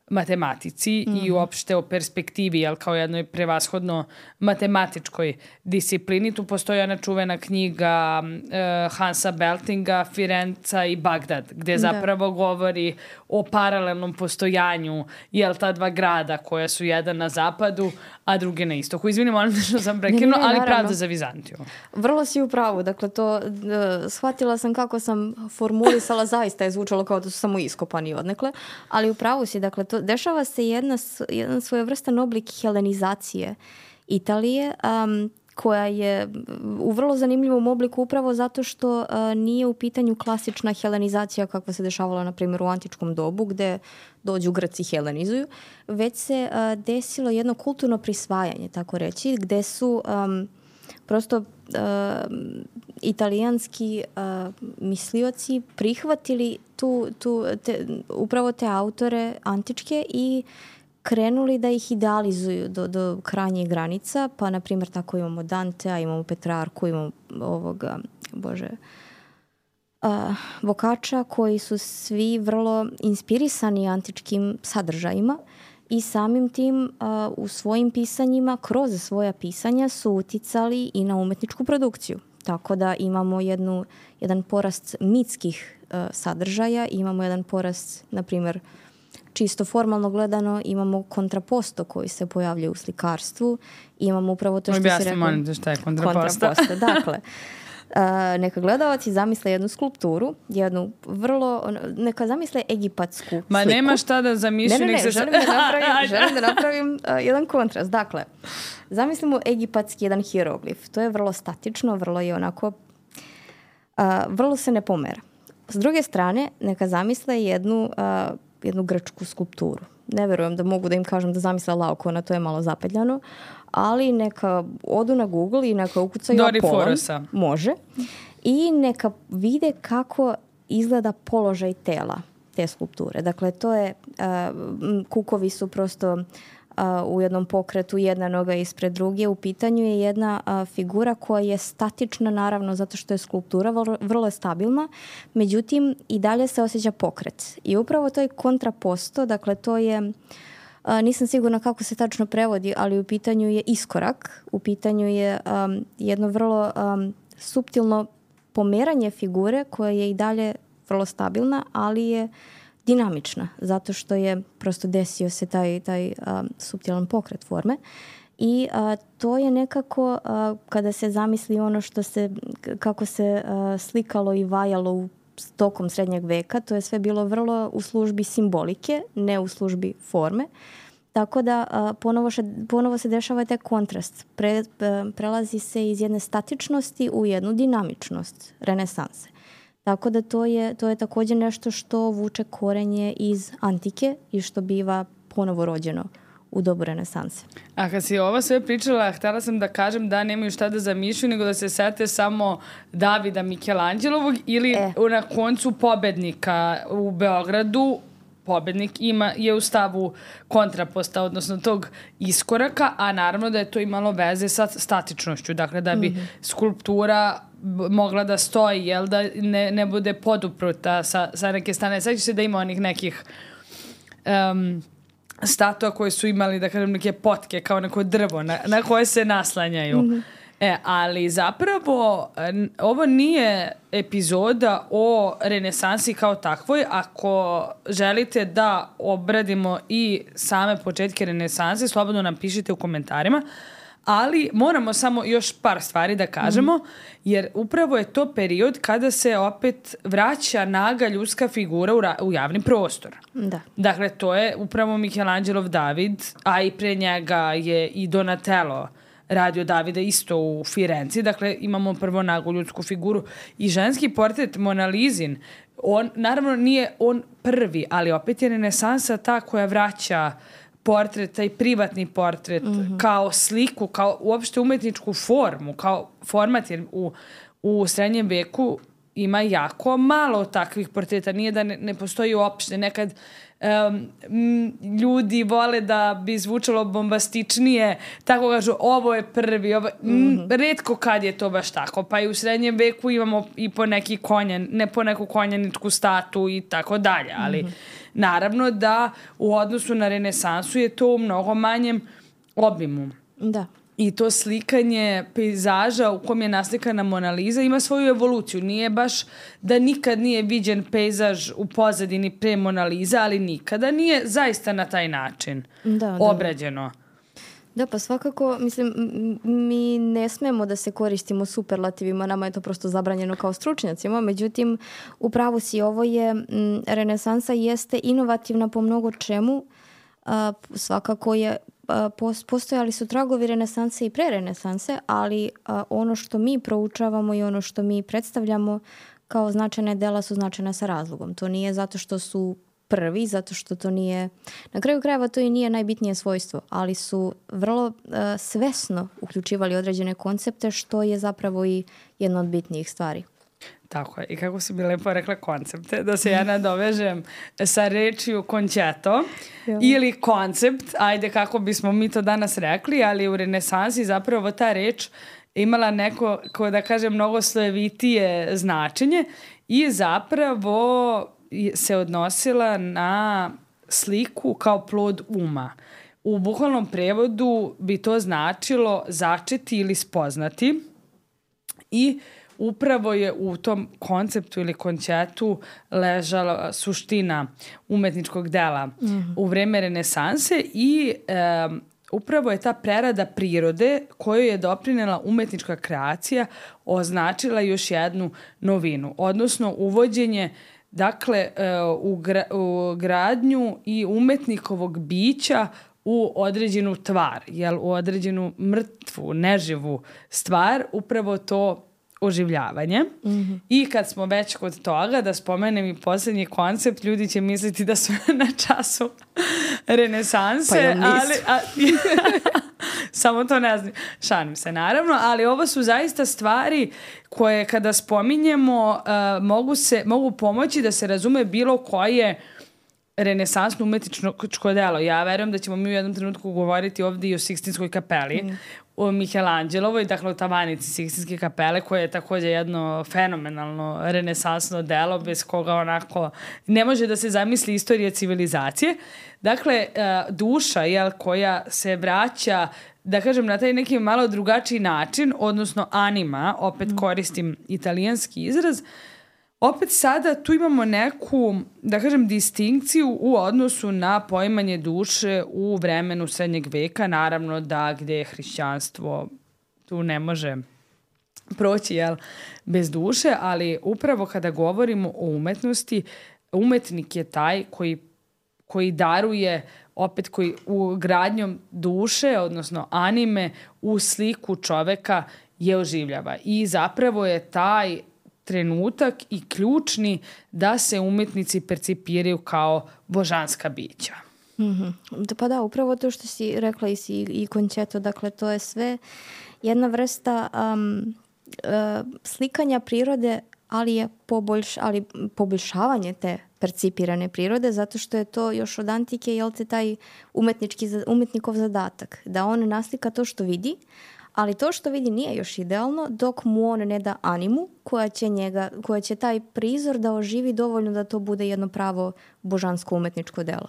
matematici mm. i uopšte o perspektivi, jel, kao jednoj prevashodno matematičkoj disciplini. Tu postoji ona čuvena knjiga uh, Hansa Beltinga Firenca i Bagdad, gde zapravo da. govori o paralelnom postojanju, jel, ta dva grada koja su jedan na zapadu, a drugi na istoku. Izvini, molim što sam prekinula, ali pravda za Vizantiju. Vrlo si u pravu, dakle to uh, shvatila sam kako sam formulisala, zaista je zvučalo kao da su samo iskopani odnekle, ali u pravu si, dakle to dešava se jedna, jedan svojevrstan oblik helenizacije Italije, um, koja je u vrlo zanimljivom obliku upravo zato što uh, nije u pitanju klasična helenizacija kakva se dešavala, na primjer, u antičkom dobu, gde dođu Grci i helenizuju, već se uh, desilo jedno kulturno prisvajanje, tako reći, gde su um, prosto italijanski uh, mislioci prihvatili tu, tu, te, upravo te autore antičke i krenuli da ih idealizuju do, do krajnjih granica. Pa, na primjer, tako imamo Dantea, imamo Petrarku, imamo ovoga, bože, uh, Boccaccia, koji su svi vrlo inspirisani antičkim sadržajima i samim tim uh, u svojim pisanjima, kroz svoja pisanja su uticali i na umetničku produkciju. Tako da imamo jednu, jedan porast mitskih uh, sadržaja, imamo jedan porast, na primjer, čisto formalno gledano, imamo kontraposto koji se pojavljaju u slikarstvu. Imamo upravo to što Objasni, si rekao. molim te šta je kontraposto. Kontraposto, dakle. Uh, neka gledalci zamisle jednu skulpturu, jednu vrlo, neka zamisle egipatsku sliku. Ma nema šta da zamišljam. Ne, ne, ne, se... želim da napravim, želim da napravim uh, jedan kontrast. Dakle, zamislimo egipatski jedan hieroglif. To je vrlo statično, vrlo je onako, uh, vrlo se ne pomera. S druge strane, neka zamisle jednu, uh, jednu grčku skulpturu. Ne verujem da mogu da im kažem da zamisle Laokona, to je malo zapetljano, ali neka odu na Google i neka ukucaju Apolon, može, i neka vide kako izgleda položaj tela te skulpture. Dakle, to je, uh, kukovi su prosto uh, u jednom pokretu, jedna noga ispred druge. U pitanju je jedna uh, figura koja je statična, naravno, zato što je skulptura vrlo, vrlo stabilna, međutim i dalje se osjeća pokret. I upravo to je kontraposto, dakle to je, uh, nisam sigurna kako se tačno prevodi, ali u pitanju je iskorak, u pitanju je um, jedno vrlo um, suptilno pomeranje figure koja je i dalje vrlo stabilna, ali je dinamična, zato što je prosto desio se taj, taj um, suptilan pokret forme. I uh, to je nekako, uh, kada se zamisli ono što se, kako se uh, slikalo i vajalo u tokom srednjeg veka, to je sve bilo vrlo u službi simbolike, ne u službi forme. Tako da uh, ponovo, še, ponovo se dešava taj kontrast. Pre, uh, prelazi se iz jedne statičnosti u jednu dinamičnost renesanse. Tako da to je, to je također nešto što vuče korenje iz antike i što biva ponovo rođeno u dobu renesanse. A kad si ovo sve pričala, htjela sam da kažem da nemaju šta da zamišljaju, nego da se sete samo Davida Mikelanđelovog ili e. na koncu pobednika u Beogradu. Pobednik ima, je u stavu kontraposta, odnosno tog iskoraka, a naravno da je to imalo veze sa statičnošću. Dakle, da bi mm-hmm. skulptura mogla da stoji, jel, da ne, ne bude podupruta sa, sa neke strane. Sad će se da ima onih nekih um, statua koje su imali, da kažem, neke potke, kao neko drvo na, na koje se naslanjaju. Mm-hmm. E, ali zapravo ovo nije epizoda o renesansi kao takvoj. Ako želite da obradimo i same početke renesanse, slobodno nam pišite u komentarima. Ali moramo samo još par stvari da kažemo, mm-hmm. jer upravo je to period kada se opet vraća naga ljudska figura u, ra- u javni prostor. Da. Dakle, to je upravo Mikelanđelov David, a i pre njega je i Donatello radio Davida isto u Firenci. Dakle, imamo prvo nagu ljudsku figuru i ženski portret Mona Lisin. On, naravno, nije on prvi, ali opet je renesansa ta koja vraća portret, taj privatni portret, mm-hmm. kao sliku, kao uopšte umetničku formu, kao format, jer u, u srednjem veku ima jako malo takvih portreta. Nije da ne, ne postoji uopšte. Nekad um, m, ljudi vole da bi zvučalo bombastičnije, tako kažu, ovo je prvi, ovo, mm-hmm. m, retko kad je to baš tako. Pa i u srednjem veku imamo i po neki konjan, ne po neku konjaničku statu i tako dalje, ali mm-hmm. naravno da u odnosu na renesansu je to u mnogo manjem obimu. Da. I to slikanje pejzaža u kom je naslikana Mona Lisa ima svoju evoluciju. Nije baš da nikad nije viđen pejzaž u pozadini pre Mona Lisa, ali nikada nije zaista na taj način da, obrađeno. Da. Da, pa svakako, mislim, mi ne smemo da se koristimo superlativima, nama je to prosto zabranjeno kao stručnjacima, međutim, upravo si, ovo je, m, renesansa jeste inovativna po mnogo čemu, a, svakako je, a, postojali su tragovi renesanse i pre renesanse, ali a, ono što mi proučavamo i ono što mi predstavljamo kao značajne dela su značajne sa razlogom. To nije zato što su prvi, zato što to nije, na kraju krajeva to i nije najbitnije svojstvo, ali su vrlo uh, svesno uključivali određene koncepte, što je zapravo i jedna od bitnijih stvari. Tako je. I kako si bi lepo rekla koncepte, da se ja nadovežem sa rečju končeto ja. ili koncept, ajde kako bismo mi to danas rekli, ali u renesansi zapravo ta reč imala neko, ko da kažem, mnogo slojevitije značenje i zapravo se odnosila na sliku kao plod uma. U bukvalnom prevodu bi to značilo začeti ili spoznati i upravo je u tom konceptu ili konceptu ležala suština umetničkog dela mm-hmm. u vreme renesanse i e, upravo je ta prerada prirode koju je doprinela umetnička kreacija označila još jednu novinu, odnosno uvođenje dakle u, gra, u gradnju i umetnikovog bića u određenu tvar, jel, u određenu mrtvu, neživu stvar, upravo to oživljavanje. Mm-hmm. I kad smo već kod toga, da spomenem i posljednji koncept, ljudi će misliti da su na času renesanse, pa ja ali a, samo to ne znam, šalim se naravno, ali ovo su zaista stvari koje kada spominjemo uh, mogu, se, mogu pomoći da se razume bilo koje renesansno umetničko delo. Ja verujem da ćemo mi u jednom trenutku govoriti ovdje i o Sikstinskoj kapeli, mm. o Michelangelovoj, dakle o tavanici Sikstinske kapele, koja je također jedno fenomenalno renesansno delo bez koga onako ne može da se zamisli istorija civilizacije. Dakle, duša, jel, koja se vraća, da kažem, na taj neki malo drugačiji način, odnosno anima, opet mm. koristim italijanski izraz, opet sada tu imamo neku, da kažem, distinkciju u odnosu na poimanje duše u vremenu srednjeg veka. Naravno da gdje je hrišćanstvo tu ne može proći, jel, bez duše, ali upravo kada govorimo o umetnosti, umetnik je taj koji, koji daruje, opet koji u gradnjom duše, odnosno anime, u sliku čoveka je oživljava. I zapravo je taj trenutak i ključni da se umetnici percipiraju kao božanska bića. Mm-hmm. Pa da, upravo to što si rekla i, si, i končeto, dakle to je sve jedna vrsta um, uh, slikanja prirode, ali je poboljš, ali poboljšavanje te percipirane prirode, zato što je to još od antike, jel te, taj umetnički, umetnikov zadatak, da on naslika to što vidi, ali to što vidi nije još idealno dok mu on ne da animu koja će, njega, koja će taj prizor da oživi dovoljno da to bude jedno pravo božansko umetničko delo.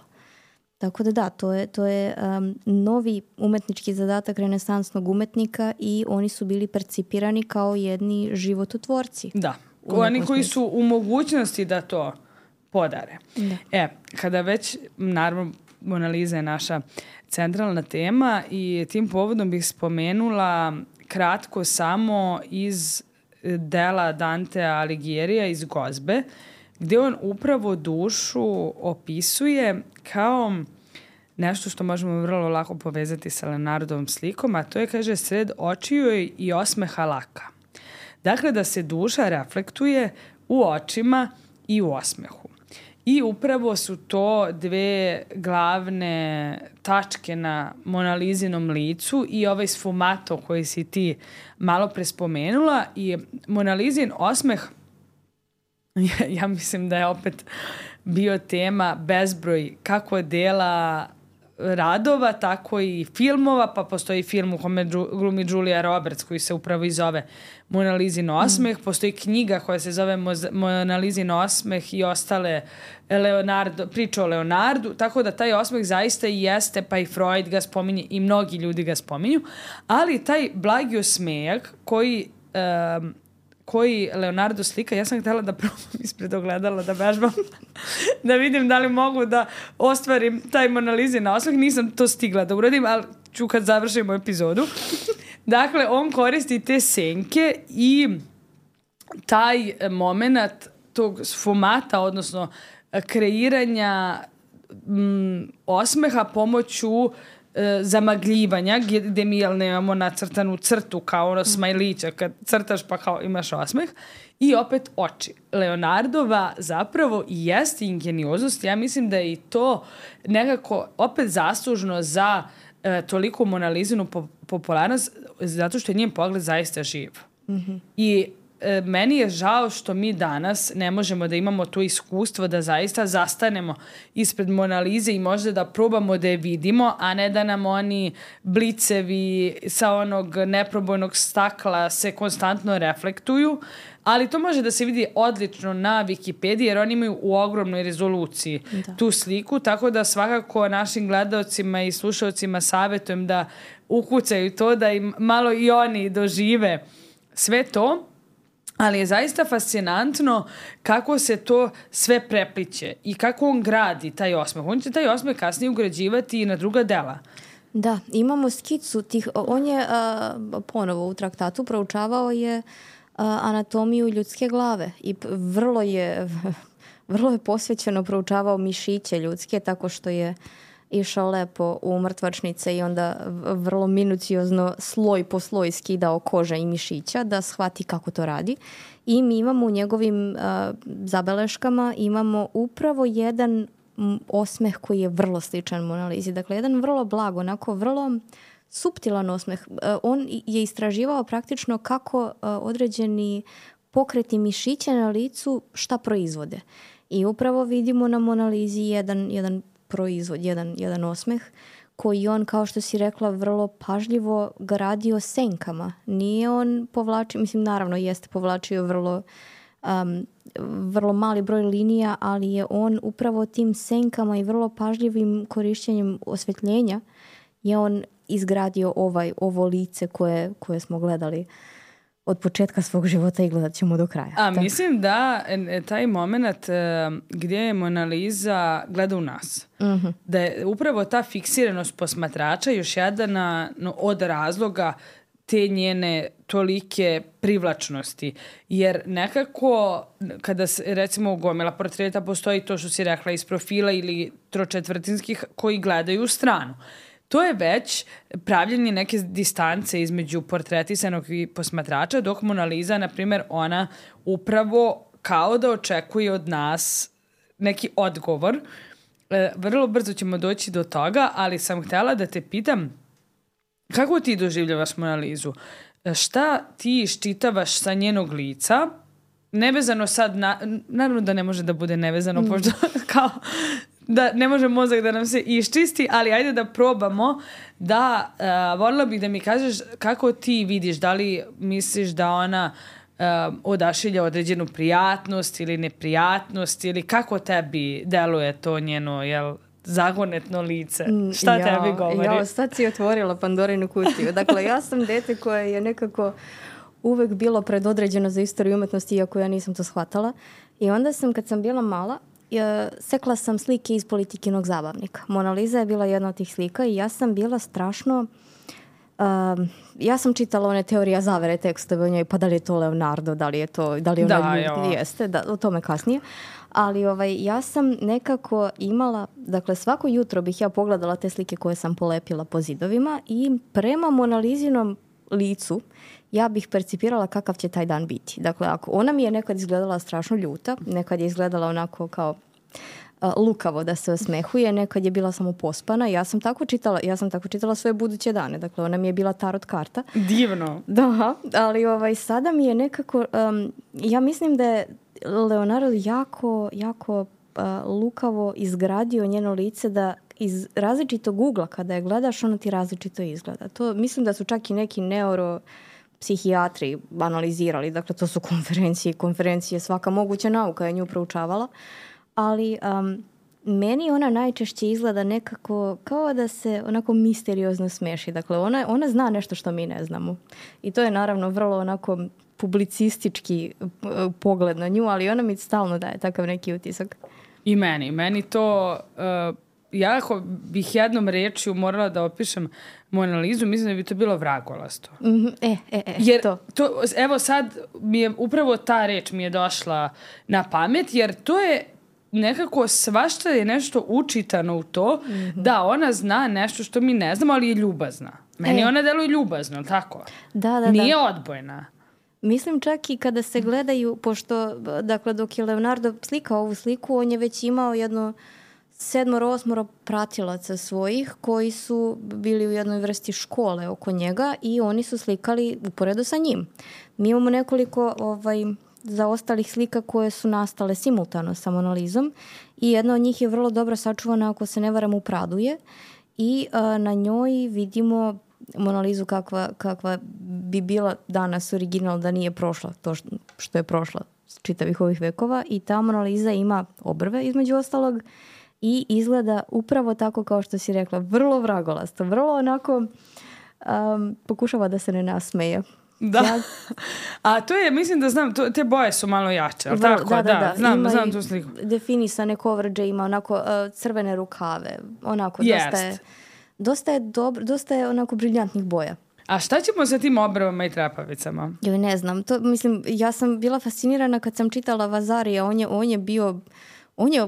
Tako da da, to je, to je um, novi umetnički zadatak renesansnog umetnika i oni su bili percipirani kao jedni živototvorci. Da, oni koji su u mogućnosti da to podare. Da. E, kada već, naravno, Mona Lisa je naša centralna tema i tim povodom bih spomenula kratko samo iz dela Dantea Alighiera iz Gozbe, gdje on upravo dušu opisuje kao nešto što možemo vrlo lako povezati sa Leonardovom slikom, a to je, kaže, sred očiju i osmeha laka. Dakle, da se duša reflektuje u očima i u osmehu. I upravo su to dve glavne tačke na Mona Lisinom licu i ovaj sfumato koji si ti malo prespomenula. I Mona Lisin osmeh, ja, ja mislim da je opet bio tema bezbroj kako dela radova, tako i filmova, pa postoji film u kome glumi Julia Roberts koji se upravo i zove Mona Lisin osmeh, mm. postoji knjiga koja se zove Mona Lisin osmeh i ostale Leonardo, priča o Leonardu, tako da taj osmeh zaista i jeste, pa i Freud ga spominje i mnogi ljudi ga spominju, ali taj blagi osmejak koji um, koji Leonardo slika, ja sam htjela da probam ispred ogledala, da vežbam, da vidim da li mogu da ostvarim taj Mona Lisin osmeh. Nisam to stigla da uradim, ali ću kad završimo epizodu. Dakle, on koristi te senke i taj moment tog sfumata, odnosno kreiranja m, osmeha pomoću e, zamagljivanja, gdje mi jel, nemamo nacrtanu crtu kao ono smajlića, kad crtaš pa kao imaš osmeh. I opet oči. Leonardova zapravo i jeste ingenioznost. Ja mislim da je i to nekako opet zaslužno za e, toliko Monalizinu po, popularnost, zato što je njen pogled zaista živ. Mm-hmm. I e, meni je žao što mi danas ne možemo da imamo to iskustvo da zaista zastanemo ispred Monalize i možda da probamo da je vidimo, a ne da nam oni blicevi sa onog neprobojnog stakla se konstantno reflektuju. Ali to može da se vidi odlično na Wikipediji, jer oni imaju u ogromnoj rezoluciji da. tu sliku, tako da svakako našim gledaocima i slušaocima savjetujem da ukucaju to, da im malo i oni dožive sve to. Ali je zaista fascinantno kako se to sve prepliće i kako on gradi taj osmeh. On će taj osmeh kasnije ugrađivati i na druga dela. Da, imamo skicu tih, on je uh, ponovo u traktatu proučavao je anatomiju ljudske glave i vrlo je vrlo je posvećeno proučavao mišiće ljudske, tako što je išao lepo u mrtvačnice i onda vrlo minuciozno sloj po sloj skidao koža i mišića da shvati kako to radi. I mi imamo u njegovim uh, zabeleškama imamo upravo jedan osmeh koji je vrlo sličan Monalizi. Dakle, jedan vrlo blag, onako vrlo suptilan osmeh. On je istraživao praktično kako određeni pokreti mišića na licu šta proizvode. I upravo vidimo na Monalizi jedan, jedan proizvod, jedan, jedan osmeh koji on, kao što si rekla, vrlo pažljivo gradio senkama. Nije on povlačio, mislim naravno jeste povlačio vrlo, um, vrlo mali broj linija, ali je on upravo tim senkama i vrlo pažljivim korišćenjem osvetljenja je on izgradio ovaj, ovo lice koje, koje smo gledali od početka svog života i gledat ćemo do kraja. A tak. Mislim da taj moment gdje je Monaliza gleda u nas, uh-huh. da je upravo ta fiksiranost posmatrača još jedan no, od razloga te njene tolike privlačnosti. Jer nekako, kada se, recimo u gomila portreta postoji to što si rekla iz profila ili tročetvrtinskih koji gledaju u stranu. To je već pravljenje neke distance između portretisanog i posmatrača, dok Monaliza, na primjer, ona upravo kao da očekuje od nas neki odgovor. E, vrlo brzo ćemo doći do toga, ali sam htjela da te pitam kako ti doživljavaš Monalizu? Šta ti iščitavaš sa njenog lica? Nevezano sad, na, naravno da ne može da bude nevezano, mm. pošto kao da ne može mozak da nam se iščisti, ali ajde da probamo da, uh, voljela bih da mi kažeš kako ti vidiš, da li misliš da ona uh, odašilja određenu prijatnost ili neprijatnost ili kako tebi deluje to njeno, jel, zagonetno lice? Šta ja, tebi govori? Ja, sad si otvorila Pandorinu kutiju. Dakle, ja sam dete koje je nekako uvek bilo predodređeno za istoriju umetnosti, iako ja nisam to shvatala. I onda sam, kad sam bila mala, sekla sam slike iz Politikinog zabavnika. Monaliza je bila jedna od tih slika i ja sam bila strašno... Um, ja sam čitala one teorija zavere tekstove o njoj, pa da li je to Leonardo, da li je to... Da li ona da, ljud, jeste, da, o tome kasnije. Ali ovaj, ja sam nekako imala... Dakle, svako jutro bih ja pogledala te slike koje sam polepila po zidovima i prema Monalizinom licu ja bih percipirala kakav će taj dan biti. Dakle, ako ona mi je nekad izgledala strašno ljuta, nekad je izgledala onako kao uh, lukavo da se osmehuje, nekad je bila samo pospana. Ja sam tako čitala, ja sam tako čitala svoje buduće dane. Dakle, ona mi je bila tarot karta. Divno. Da, ali ovaj, sada mi je nekako... Um, ja mislim da je Leonardo jako, jako uh, lukavo izgradio njeno lice da iz različitog ugla kada je gledaš, ona ti različito izgleda. To mislim da su čak i neki neuro psihijatri analizirali, dakle to su konferencije, konferencije, svaka moguća nauka je nju proučavala, ali um, meni ona najčešće izgleda nekako kao da se onako misteriozno smeši. Dakle, ona, ona zna nešto što mi ne znamo. I to je naravno vrlo onako publicistički uh, pogled na nju, ali ona mi stalno daje takav neki utisak. I meni. Meni to... Uh... Ja ako bih jednom rečju morala da opišem Monalizu, mislim da bi to bilo vragolasto. Mm-hmm. E, e, e, jer to. to. Evo sad mi je upravo ta reč mi je došla na pamet, jer to je nekako svašta je nešto učitano u to mm-hmm. da ona zna nešto što mi ne znamo, ali je ljubazna. Meni e. ona deluje ljubazno, tako? Da, da, Nije da. odbojna. Mislim čak i kada se gledaju, pošto, dakle, dok je Leonardo slikao ovu sliku, on je već imao jedno sedmoro, osmoro pratilaca svojih koji su bili u jednoj vrsti škole oko njega i oni su slikali uporedo sa njim. Mi imamo nekoliko ovaj, zaostalih slika koje su nastale simultano sa Mona Lizom i jedna od njih je vrlo dobro sačuvana, ako se ne varam, u Pradu je i a, na njoj vidimo Mona Lizu kakva, kakva bi bila danas original da nije prošla to što je prošla čitavih ovih vekova i ta Mona Lisa ima obrve između ostalog i izgleda upravo tako kao što si rekla, vrlo vragolasto, vrlo onako um, pokušava da se ne nasmeje. Da. Ja... A to je, mislim da znam, to, te boje su malo jače, ali tako? Da, da, da. da. Znam, ima znam tu sliku. Definisane coverage, ima onako uh, crvene rukave, onako Jest. dosta je, dosta je dobro, dosta je onako briljantnih boja. A šta ćemo sa tim obrvama i trepavicama? Ja ne znam, to, mislim, ja sam bila fascinirana kad sam čitala Vasarija, on je, on je bio... On je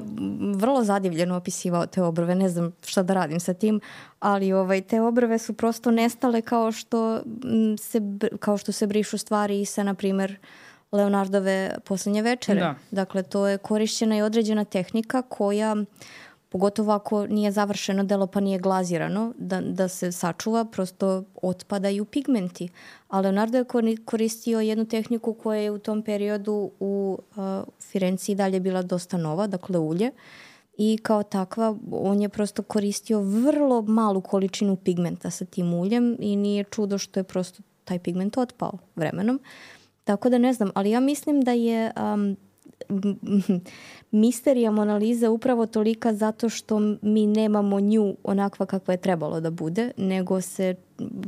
vrlo zadivljeno opisivao te obrve, ne znam šta da radim sa tim, ali ovaj, te obrve su prosto nestale kao što se, kao što se brišu stvari i sa, na primjer, Leonardove Posljednje večere. Da. Dakle, to je korišćena i određena tehnika koja, pogotovo ako nije završeno delo pa nije glazirano, da, da se sačuva, prosto otpadaju pigmenti. A Leonardo je koristio jednu tehniku koja je u tom periodu u uh, Firenci dalje bila dosta nova, dakle ulje. I kao takva on je prosto koristio vrlo malu količinu pigmenta sa tim uljem i nije čudo što je prosto taj pigment otpao vremenom. Tako da ne znam, ali ja mislim da je... Um, misterija Mona Lisa upravo tolika zato što mi nemamo nju onakva kakva je trebalo da bude, nego se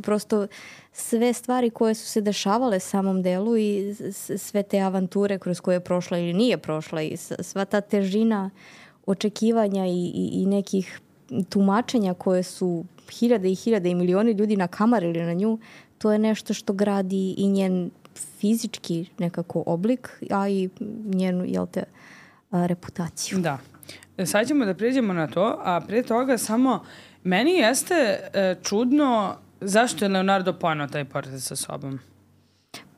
prosto sve stvari koje su se dešavale samom delu i sve te avanture kroz koje je prošla ili nije prošla i sva ta težina očekivanja i, i, i nekih tumačenja koje su hiljade i hiljade i milioni ljudi nakamarili na nju, to je nešto što gradi i njen fizički nekako oblik, a i njenu, jel te, a, reputaciju. Da. Sad ćemo da prijeđemo na to, a prije toga samo meni jeste e, čudno zašto je Leonardo poneo taj portret sa sobom.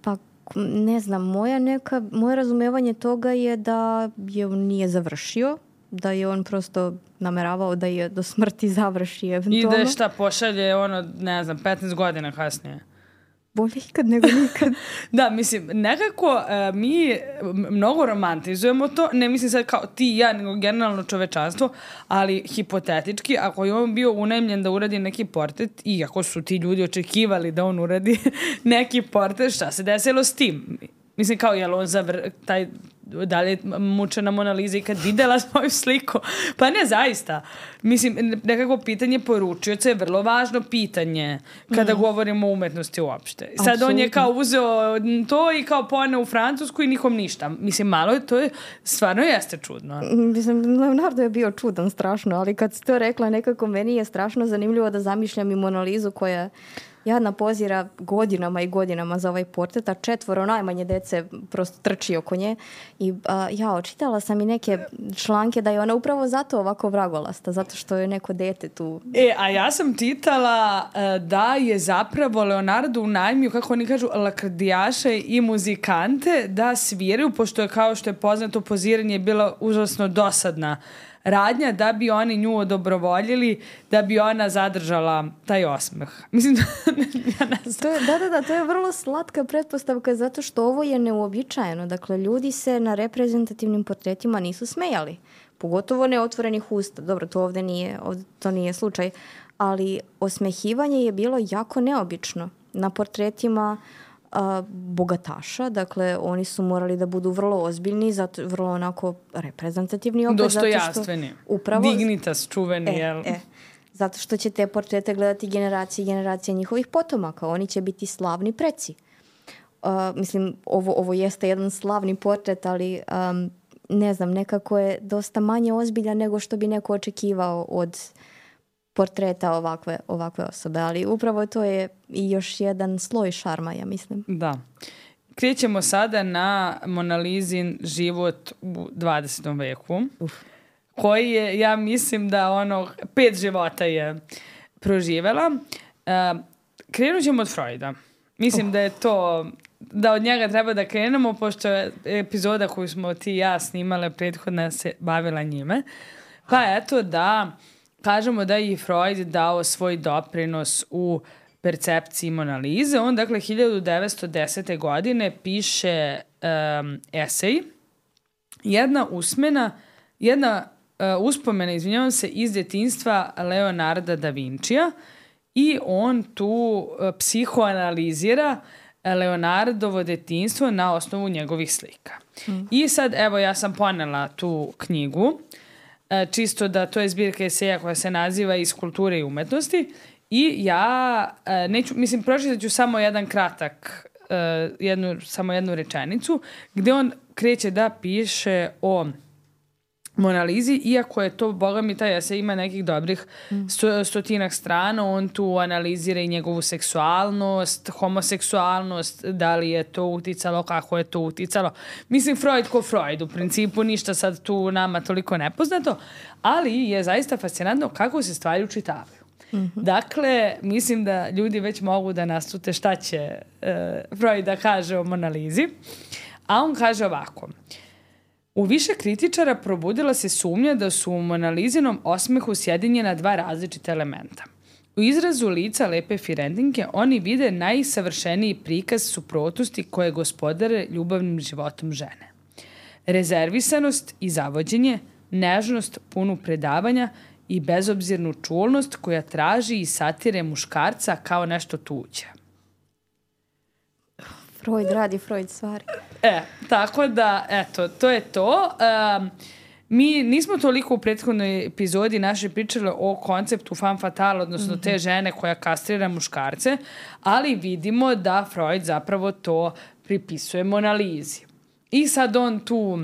Pa ne znam, moja neka, moje razumevanje toga je da je on nije završio, da je on prosto nameravao da je do smrti završi eventualno. I da je šta pošalje ono, ne znam, petnaest godina kasnije. Bolje ikad nego nikad. Da, mislim, nekako uh, mi mnogo romantizujemo to, ne mislim sad kao ti i ja, nego generalno čovečanstvo, ali hipotetički, ako je on bio unajmljen da uradi neki portret i ako su ti ljudi očekivali da on uradi neki portret, šta se desilo s tim? Mislim, kao, je li on zavr... taj, da li je mučena Mona Lisa i kad videla svoju sliku? Pa ne, zaista. Mislim, nekako pitanje poručioca je vrlo važno pitanje kada mm. govorimo o umetnosti uopšte. Sad Absolutno. On je kao uzeo to i kao poneo u Francusku i nikom ništa. Mislim, malo je to je, stvarno jeste čudno. Mislim, Leonardo je bio čudan strašno, ali kad si to rekla, nekako meni je strašno zanimljivo da zamišljam i Mona Lisu koja jadna pozira godinama i godinama za ovaj portret, a četvoro najmanje dece prosto trči oko nje. I a, ja očitala sam i neke članke da je ona upravo zato ovako vragolasta, zato što je neko dete tu. E, a ja sam čitala uh, da je zapravo Leonardo unajmio, kako oni kažu, lakrdijaše i muzikante da sviraju, pošto je, kao što je poznato, poziranje bila užasno dosadna radnja, da bi oni nju odobrovoljili, da bi ona zadržala taj osmeh. Mislim, ja ne znam. To je, da, da, da, to je vrlo slatka pretpostavka zato što ovo je neuobičajeno. Dakle, ljudi se na reprezentativnim portretima nisu smejali. Pogotovo neotvorenih usta. Dobro, to ovdje nije, ovdje to nije slučaj. Ali osmehivanje je bilo jako neobično. Na portretima a, bogataša, dakle, oni su morali da budu vrlo ozbiljni, zato vrlo onako reprezentativni opet. Dostojanstveni. Upravo, Dignitas čuveni, e, jel? E, zato što će te portrete gledati generacije i generacije njihovih potomaka. Oni će biti slavni preci. Uh, mislim, ovo, ovo jeste jedan slavni portret, ali um, ne znam, nekako je dosta manje ozbiljan nego što bi neko očekivao od portreta ovakve, ovakve osobe. Ali upravo to je i još jedan sloj šarma, ja mislim. Da. krećemo sada na Mona Lisin život u dvadesetom veku, Uf. koji je, ja mislim da ono, pet života je proživela. Uh, krenut ćemo od Freuda. Mislim uh. da je to, da od njega treba da krenemo, pošto je epizoda koju smo ti i ja snimale prethodna se bavila njime. Pa eto da kažemo da je i Freud dao svoj doprinos u percepciji Mona Lise. On, dakle, hiljadu devetsto desete. godine piše um, esej, jedna usmena, jedna uh, uspomena, izvinjavam se, iz detinjstva Leonarda da Vincija i on tu uh, psihoanalizira Leonardovo detinjstvo na osnovu njegovih slika. Mm. I sad, evo, ja sam ponela tu knjigu, uh, čisto da to je zbirka eseja koja se naziva Iz kulture i umetnosti. I ja uh, neću, mislim, pročitat ću samo jedan kratak, uh, jednu, samo jednu rečenicu, gde on kreće da piše o Mona Lisi, iako je to, boga mi, taj esej ima nekih dobrih sto, stotinak strana, on tu analizira i njegovu seksualnost, homoseksualnost, da li je to uticalo, kako je to uticalo. Mislim, Freud ko Freud, u principu ništa sad tu nama toliko nepoznato, ali je zaista fascinantno kako se stvari učitavaju. Mm-hmm. Dakle, mislim da ljudi već mogu da naslute šta će uh, Freud da kaže o Mona Lisi. A on kaže ovako: u više kritičara probudila se sumnja da su u Mona Lisinom osmehu sjedinjena dva različita elementa. U izrazu lica lepe Firendinke oni vide najsavršeniji prikaz suprotnosti koje gospodare ljubavnim životom žene. Rezervisanost i zavođenje, nežnost punu predavanja i bezobzirnu čulnost koja traži i satire muškarca kao nešto tuđe. Freud radi Freud stvari. E, tako da, eto, to je to. Um, mi nismo toliko u prethodnoj epizodi naše pričali o konceptu femme fatale, odnosno mm-hmm. te žene koja kastrira muškarce, ali vidimo da Freud zapravo to pripisuje Mona Lisi. I sad on tu,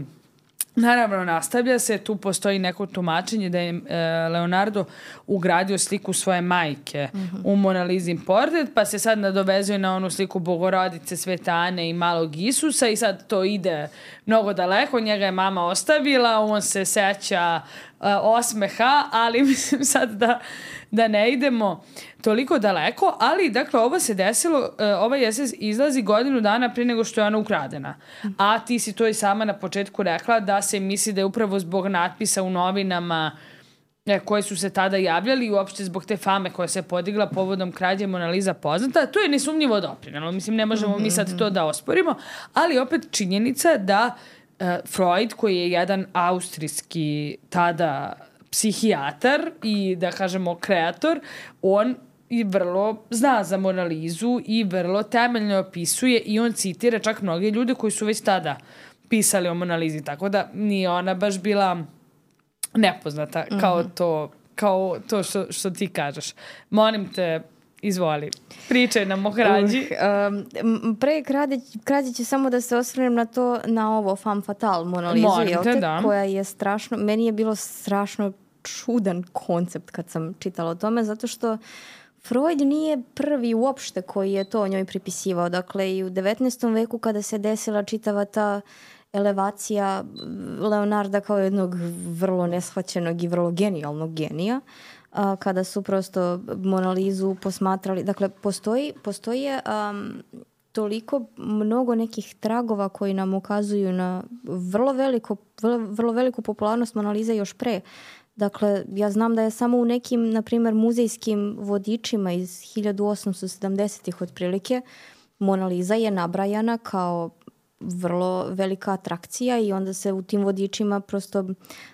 naravno, nastavlja se, tu postoji neko tumačenje da je e, Leonardo ugradio sliku svoje majke mm-hmm. u Mona Lisin portret, pa se sad nadovezuje na onu sliku Bogorodice, Svete Ane i malog Isusa i sad to ide mnogo daleko, njega je mama ostavila, on se seća e, osmeha, ali mislim sad da, da ne idemo toliko daleko, ali dakle ovo se desilo, e, ovaj esej izlazi godinu dana prije nego što je ona ukradena. A ti si to i sama na početku rekla da se misli da je upravo zbog natpisa u novinama e, koje su se tada javljali i uopšte zbog te fame koja se podigla povodom krađe Mona Lisa poznata. To je nesumnjivo doprinalo. Mislim, ne možemo mm-hmm. mi sad to da osporimo, ali opet činjenica da e, Freud, koji je jedan austrijski tada psihijatar i da kažemo kreator, on i vrlo zna za Mona Lisu i vrlo temeljno opisuje i on citira čak mnoge ljude koji su već tada pisali o Mona Lisi, tako da nije ona baš bila nepoznata mm-hmm. kao to, kao to što, što ti kažeš. Molim te, izvoli, pričaj nam o krađi. Uh, um, pre krađi će samo da se osvrnem na to, na ovo femme fatale Mona Lisu, da. koja je strašno, meni je bilo strašno čudan koncept kad sam čitala o tome, zato što Freud nije prvi uopšte koji je to o njoj pripisivao. Dakle, i u devetnaestom veku kada se desila čitava ta elevacija Leonarda kao jednog vrlo neshvaćenog i vrlo genijalnog genija, a, kada su prosto Mona Lisu posmatrali. Dakle, postoji, postoje um, toliko mnogo nekih tragova koji nam ukazuju na vrlo, veliko, vrlo, vrlo veliku popularnost Mona Lise još pre. Dakle, ja znam da je samo u nekim, na primjer, muzejskim vodičima iz hiljadu osamsto sedamdesetih otprilike Mona Lisa je nabrajana kao vrlo velika atrakcija i onda se u tim vodičima prosto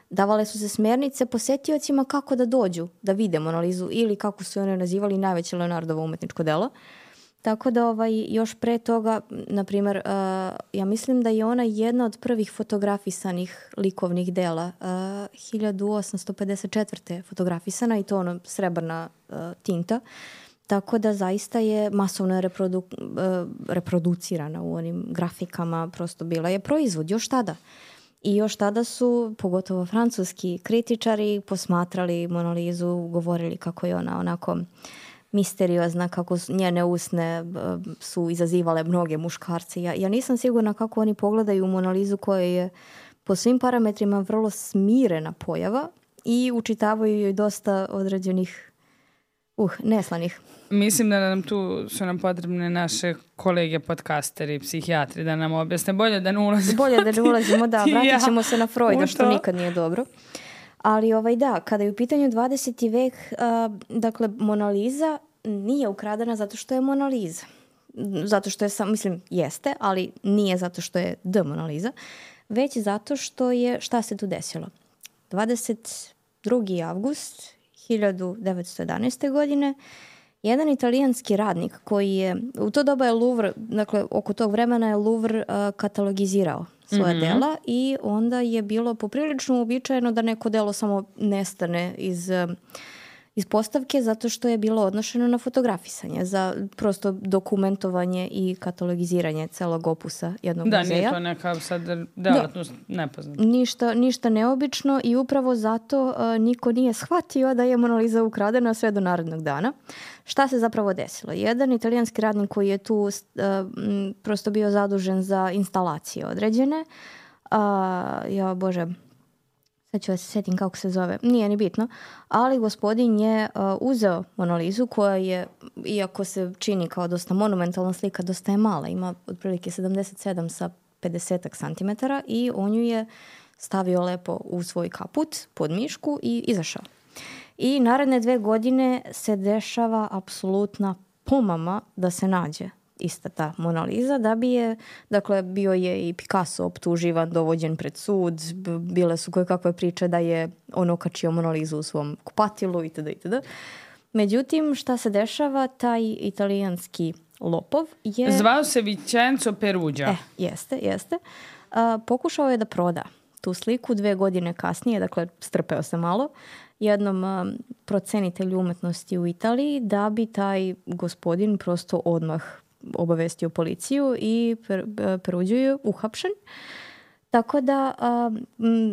davale su se smjernice posetiocima kako da dođu, da vide Mona Lisu ili kako su one nazivali najveće Leonardovo umetničko delo. Tako da ovaj, još pre toga, na primjer, uh, ja mislim da je ona jedna od prvih fotografisanih likovnih dela. Uh, hiljadu osamsto pedeset četvrte fotografisana i to ono srebrna uh, tinta. Tako da zaista je masovno reprodu, uh, reproducirana u onim grafikama, prosto bila je proizvod još tada. I još tada su, pogotovo francuski kritičari, posmatrali Mona Lisu, govorili kako je ona onako misteriozna, kako njene usne su izazivale mnoge muškarce. Ja, ja nisam sigurna kako oni pogledaju Mona Lizu koja je po svim parametrima vrlo smirena pojava i učitavaju joj dosta određenih uh, neslanih. Mislim da nam tu su nam potrebne naše kolege podcasteri, psihijatri da nam objasne. Bolje da ne ulazimo. Bolje da ne ulazimo, da. Vratit ćemo se na Freuda, što nikad nije dobro. Ali ovaj da, kada je u pitanju dvadeseti vek, uh, dakle, Mona Lisa nije ukradena zato što je Mona Lisa. Zato što je, sam, mislim, jeste, ali nije zato što je The Mona Lisa, već zato što je, šta se tu desilo? dvadeset drugi avgust hiljadu devetsto jedanaeste. godine jedan italijanski radnik koji je, u to doba je Louvre, dakle oko tog vremena je Louvre uh, katalogizirao svoje mm-hmm. dela i onda je bilo poprilično uobičajeno da neko delo samo nestane iz, uh, iz postavke zato što je bilo odnošeno na fotografisanje za prosto dokumentovanje i katalogiziranje celog opusa jednog da, muzeja. Da, nije to neka sad delatnost da. nepoznata. Ništa, ništa neobično i upravo zato uh, niko nije shvatio da je Mona Lisa ukradena sve do narednog dana. Šta se zapravo desilo? Jedan italijanski radnik koji je tu uh, m, prosto bio zadužen za instalacije određene. Uh, ja, Bože, sad ću da se setim kako se zove. Nije ni bitno. Ali gospodin je uh, uzeo Mona Lisu koja je, iako se čini kao dosta monumentalna slika, dosta je mala. Ima otprilike sedamdeset sedam sa pedeset santimetara i on ju je stavio lepo u svoj kaput pod mišku i izašao. I naredne dve godine se dešava apsolutna pomama da se nađe ista ta Mona Lisa, da bi je, dakle, bio je i Picasso optuživan, dovođen pred sud, bile su koje kakve priče da je on okačio Mona Lisu u svom kupatilu itd. itd. Međutim, šta se dešava, taj italijanski lopov je... Zvao se Vincenzo Perugia. E, jeste, jeste. A, pokušao je da proda tu sliku dve godine kasnije, dakle, strpeo se malo, jednom um, procenitelju umetnosti u Italiji da bi taj gospodin prosto odmah obavestio policiju i per, Peruđio je uhapšen. Tako da um,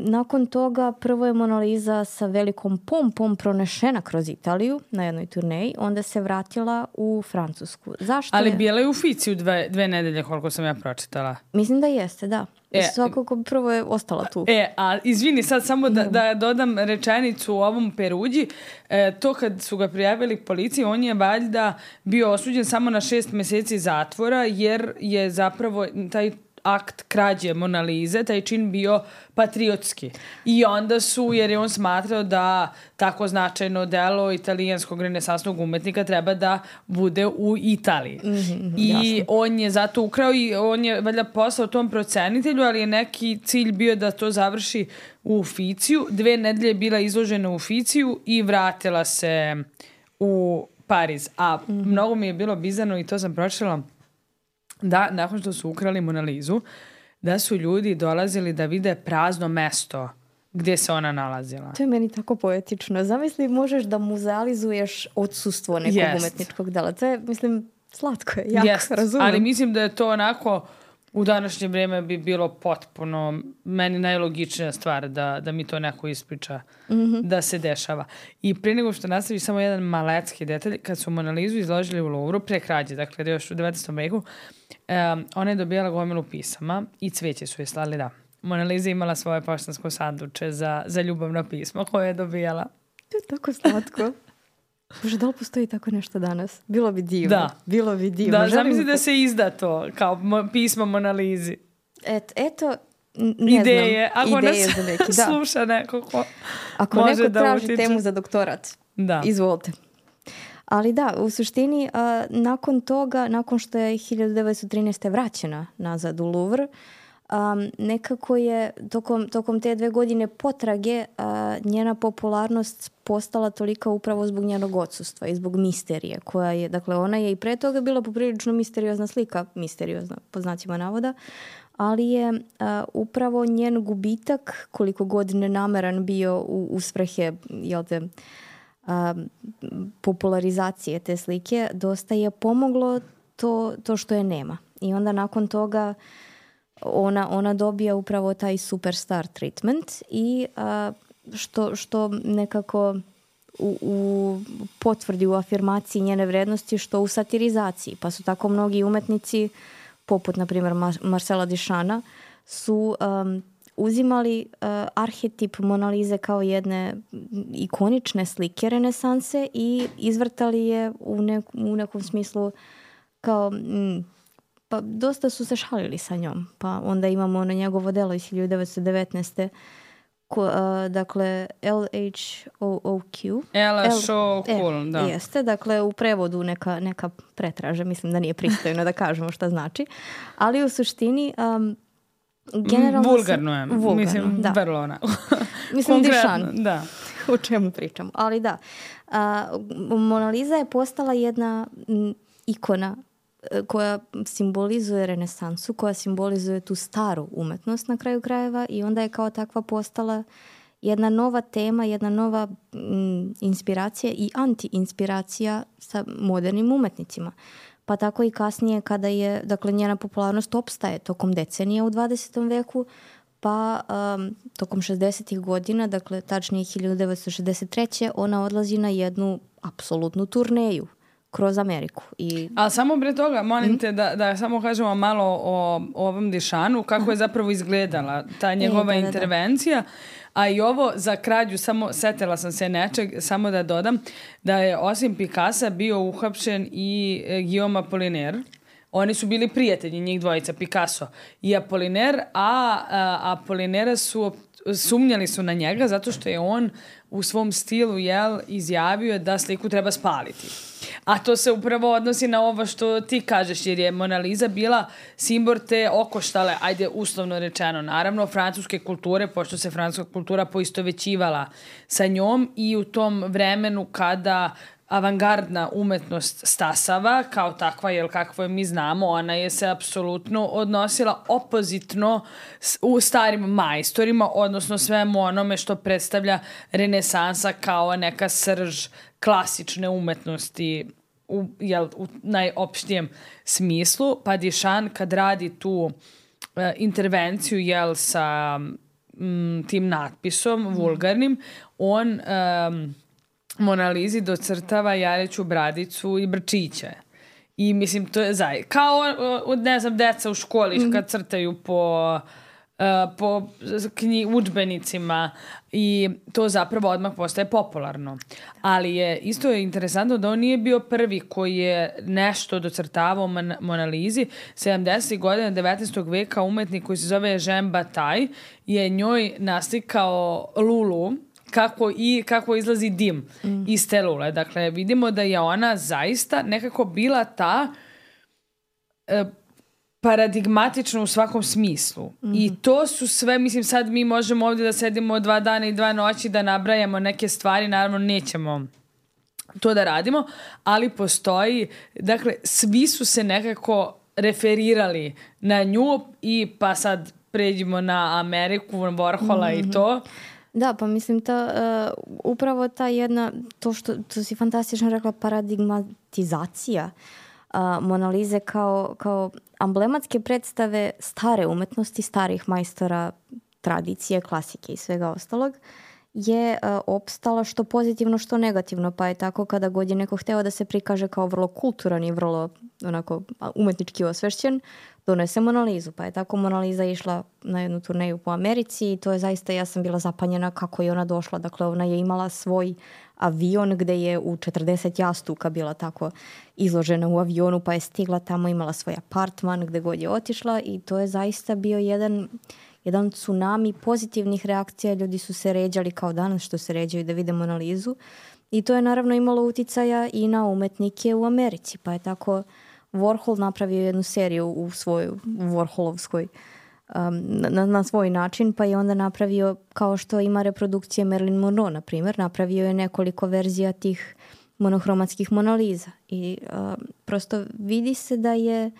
nakon toga prvo je Mona Lisa sa velikom pompom pronešena kroz Italiju na jednoj turneji, onda se vratila u Francusku. Zašto Ali je... bila je u Ficiju dve, dve nedelje koliko sam ja pročitala. Mislim da jeste, da. E, Svakako prvo je ostala tu. E, a izvini sad samo da, da dodam rečenicu u ovom Peruđi. E, to kad su ga prijavili policiji, on je valjda bio osuđen samo na šest meseci zatvora jer je zapravo taj akt krađe Mona Lise, taj čin bio patriotski. I onda su, jer je on smatrao da tako značajno delo italijanskog renesansnog umetnika treba da bude u Italiji. Mm-hmm, I jasno. On je zato ukrao i on je valjda poslao tom procenitelju, ali je neki cilj bio da to završi u Uficiju. Dve nedelje je bila izložena u Uficiju i vratila se u Pariz. A mm-hmm. mnogo mi je bilo bizarno i to sam pročitala da nakon što su ukrali Mona Lisu, da su ljudi dolazili da vide prazno mesto gdje se ona nalazila. To je meni tako poetično. Zamisli, možeš da muzealizuješ odsustvo nekog yes. umetničkog dela. To je, mislim, slatko je, jako yes. razumem. Ali mislim da je to onako, u današnje vrijeme bi bilo potpuno, meni najlogičnija stvar da, da mi to neko ispriča, mm-hmm. da se dešava. I prije nego što nastavi samo jedan malecki detalj, kad su Mona Lisu izložili u Louvru pre krađe, dakle još u devetnaestom veku, um, ona je dobijala gomilu pisama i cvijeće su je slali, da. Mona Lisa imala svoje poštansko sanduče za, za ljubavno pismo koje je dobijala. To je tako slatko. Bože, da li postoji tako nešto danas? Bilo bi divno. Da. Bilo bi divno. Da, zamisli da se izda to kao mo- pismo Mona Lisi. Et, eto, ne Ideje. znam. Ako Ideje nas za neki, da. sluša neko ko Ako može neko da traži utiče. temu za doktorat, da. Izvolite. Ali da, u suštini, a, nakon toga, nakon što je hiljadu devetsto trinaeste. vraćena nazad u Louvre, Um, nekako je tokom, tokom te dve godine potrage uh, njena popularnost postala tolika upravo zbog njenog odsustva i zbog misterije koja je, dakle ona je i pre toga bila poprilično misteriozna slika, misteriozna po znacima navoda, ali je uh, upravo njen gubitak, koliko god nenameran bio u, u svrhe, jel te, uh, popularizacije te slike, dosta je pomoglo to, to što je nema. I onda nakon toga Ona, ona dobija upravo taj superstar treatment i a, što, što nekako u, u potvrdi, u afirmaciji njene vrednosti, što u satirizaciji. Pa su tako mnogi umetnici, poput, na primjer, Marcela Duchampa, su um, uzimali uh, arhetip Monalize kao jedne ikonične slike renesanse i izvrtali je u, nek, u nekom smislu kao... Mm, pa dosta su se šalili sa njom. Pa onda imamo ono njegovo delo iz hiljadu devetsto devetnaeste. Ko, uh, dakle, L H O O Q. L H O cool, da. Jeste, dakle, u prevodu neka, neka pretraže. Mislim da nije pristojno da kažemo šta znači. Ali u suštini... Um, generalno vulgarno je. Vulgarno, mislim, da. vrlo ona. Mislim, Duchamp. Da. O čemu pričam. Ali da. Uh, Monaliza je postala jedna m, ikona koja simbolizuje renesansu, koja simbolizuje tu staru umetnost na kraju krajeva i onda je kao takva postala jedna nova tema, jedna nova mm, inspiracija i anti-inspiracija sa modernim umetnicima. Pa tako i kasnije kada je, dakle, njena popularnost opstaje tokom decenija u dvadesetom veku, pa um, tokom šezdesetih godina, dakle, tačnije hiljadu devetsto šezdeset treće ona odlazi na jednu apsolutnu turneju kroz Ameriku. I... Ali samo pre toga, molim te da, da samo kažemo malo o, o ovom Duchampu, kako je zapravo izgledala ta njegova e, da, da, intervencija. Da. A i ovo za krađu, samo setila sam se nečeg, samo da dodam, da je osim Picassa bio uhapšen i Guillaume Apollinaire. Oni su bili prijatelji, njih dvojica, Picasso i Apollinaire, a, a Apollinaire su sumnjali su na njega zato što je on u svom stilu jel, izjavio da sliku treba spaliti. A to se upravo odnosi na ovo što ti kažeš, jer je Monaliza bila simbol te okoštale, ajde uslovno rečeno, naravno, francuske kulture, pošto se francuska kultura poistovećivala sa njom i u tom vremenu kada avangardna umetnost stasava, kao takva, jer kakvo je mi znamo, ona je se apsolutno odnosila opozitno u starim majstorima, odnosno svemu onome što predstavlja renesansa kao neka srž klasične umetnosti u, jel, u najopštijem smislu. Pa Duchamp kad radi tu uh, intervenciju jel, sa m, tim natpisom mm. vulgarnim, on... Um, Monalizi docrtava jareću bradicu i brčiće. I mislim, to je zaj. Kao, ne znam, deca u školi kad crtaju po, uh, po knji, udžbenicima i to zapravo odmah postaje popularno. Ali je isto je interesantno da on nije bio prvi koji je nešto docrtavao Mon- Monalizi. sedamdesetih godina devetnaestog veka umetnik koji se zove Jean Bataille je njoj naslikao Lulu, kako i kako izlazi dim mm. iz te lule. Dakle, vidimo da je ona zaista nekako bila ta e, paradigmatična u svakom smislu. Mm. I to su sve, mislim, sad mi možemo ovdje da sedimo dva dana i dva noći da nabrajamo neke stvari, naravno nećemo to da radimo, ali postoji, dakle, svi su se nekako referirali na nju i pa sad pređimo na Ameriku, Warhola mm-hmm. i to. Da, pa mislim ta, uh, upravo ta jedna, to što to si fantastično rekla, paradigmatizacija uh, Monalize kao, kao amblematske predstave stare umetnosti, starih majstora, tradicije, klasike i svega ostalog, je uh, opstala što pozitivno, što negativno, pa je tako kada god je neko hteo da se prikaže kao vrlo kulturan i vrlo onako umetnički osvešćen, donese Monalizu, pa je tako Monaliza išla na jednu turneju po Americi i to je zaista, ja sam bila zapanjena kako je ona došla. Dakle, ona je imala svoj avion gde je u četrdeset jastuka bila tako izložena u avionu, pa je stigla tamo, imala svoj apartman gde god je otišla i to je zaista bio jedan, jedan tsunami pozitivnih reakcija. Ljudi su se ređali kao danas što se ređaju da vide Monalizu i to je naravno imalo uticaja i na umetnike u Americi, pa je tako Warhol napravio jednu seriju u svojoj Warholovskoj um, na, na svoj način, pa je onda napravio, kao što ima reprodukcije Marilyn Monroe, na primjer, napravio je nekoliko verzija tih monohromatskih Monaliza i um, prosto vidi se da je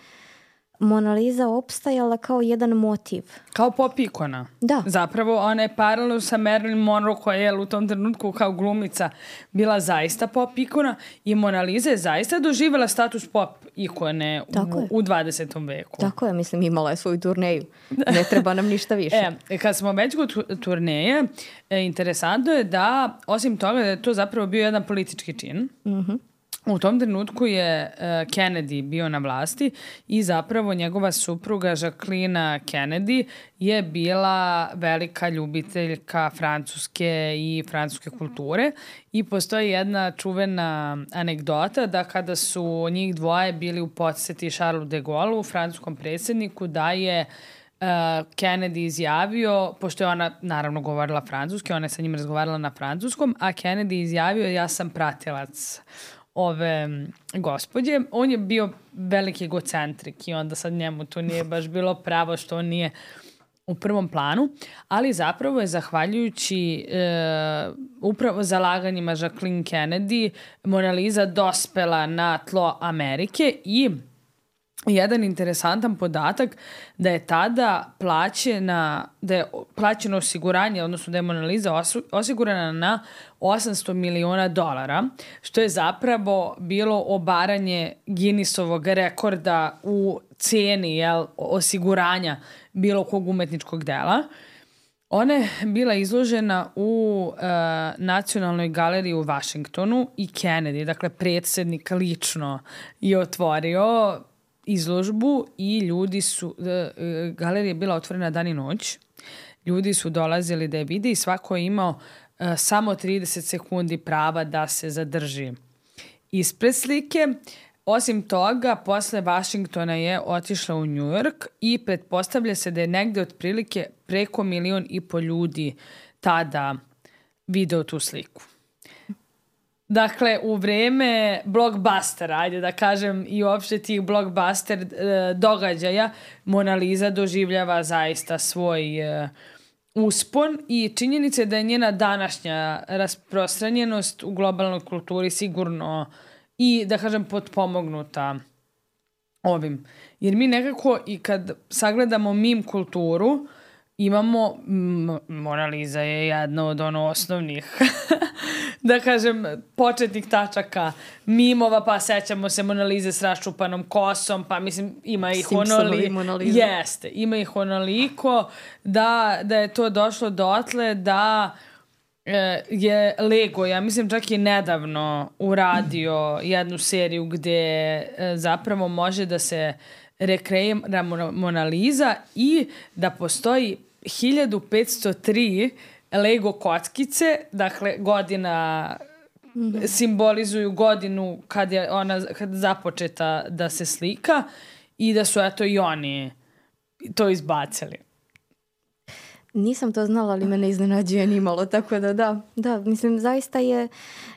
Mona Lisa opstajala kao jedan motiv. Kao pop ikona. Da. Zapravo ona je paralelno sa Marilyn Monroe koja je u tom trenutku kao glumica bila zaista pop ikona i Mona Lisa je zaista doživjela status pop ikone u, u dvadesetom veku. Tako je, mislim, imala je svoju turneju. Ne treba nam ništa više. E, kad smo već kod turneje, e, interesantno je da, osim toga da je to zapravo bio jedan politički čin, Mhm. u tom trenutku je uh, Kennedy bio na vlasti i zapravo njegova supruga Jacqueline Kennedy je bila velika ljubiteljka francuske i francuske kulture i postoji jedna čuvena anegdota da kada su njih dvoje bili u poseti Charlesu de Gaullu, francuskom predsjedniku, da je Uh, Kennedy izjavio, pošto je ona naravno govorila francuski, ona je sa njim razgovarala na francuskom, a Kennedy izjavio ja sam pratilac ove gospođe. On je bio veliki egocentrik i onda sad njemu to nije baš bilo pravo što on nije u prvom planu, ali zapravo je zahvaljujući e, upravo zalaganjima Jacqueline Kennedy Mona Lisa dospela na tlo Amerike i jedan interesantan podatak da je tada plaćena, da je plaćeno osiguranje, odnosno da je Mona Lisa osigurana na osamsto miliona dolara, što je zapravo bilo obaranje Guinnessovog rekorda u ceni, jel, osiguranja bilo kog umetničkog dela. Ona je bila izložena u uh, Nacionalnoj galeriji u Washingtonu i Kennedy, dakle predsjednik lično je otvorio izložbu i ljudi su, galerija je bila otvorena dan i noć, ljudi su dolazili da je vide i svako je imao uh, samo trideset sekundi prava da se zadrži ispred slike. Osim toga, posle Washingtona je otišla u New York i pretpostavlja se da je negde otprilike preko milion i po ljudi tada video tu sliku. Dakle, u vreme blockbustera, ajde da kažem, i uopšte tih blockbuster e, događaja, Mona Lisa doživljava zaista svoj e, uspon i činjenica je da je njena današnja rasprostranjenost u globalnoj kulturi sigurno i, da kažem, potpomognuta ovim. Jer mi nekako i kad sagledamo meme kulturu, imamo, M- Mona Lisa je jedna od ono osnovnih da kažem, početnih tačaka mimova, pa sećamo se Mona Lise s raščupanom kosom, pa mislim ima ih onoliko. Jeste, ima ih onoliko da, da je to došlo dotle da e, je Lego, ja mislim čak i nedavno uradio jednu seriju gde e, zapravo može da se rekreira Mona Lisa i da postoji hiljadu petsto tri Lego kockice, dakle godina mm-hmm. simbolizuju godinu kad je ona kad započeta da se slika i da su eto i oni to izbacili. Nisam to znala, ali me ne iznenađuje ni malo, tako da da, da, mislim zaista je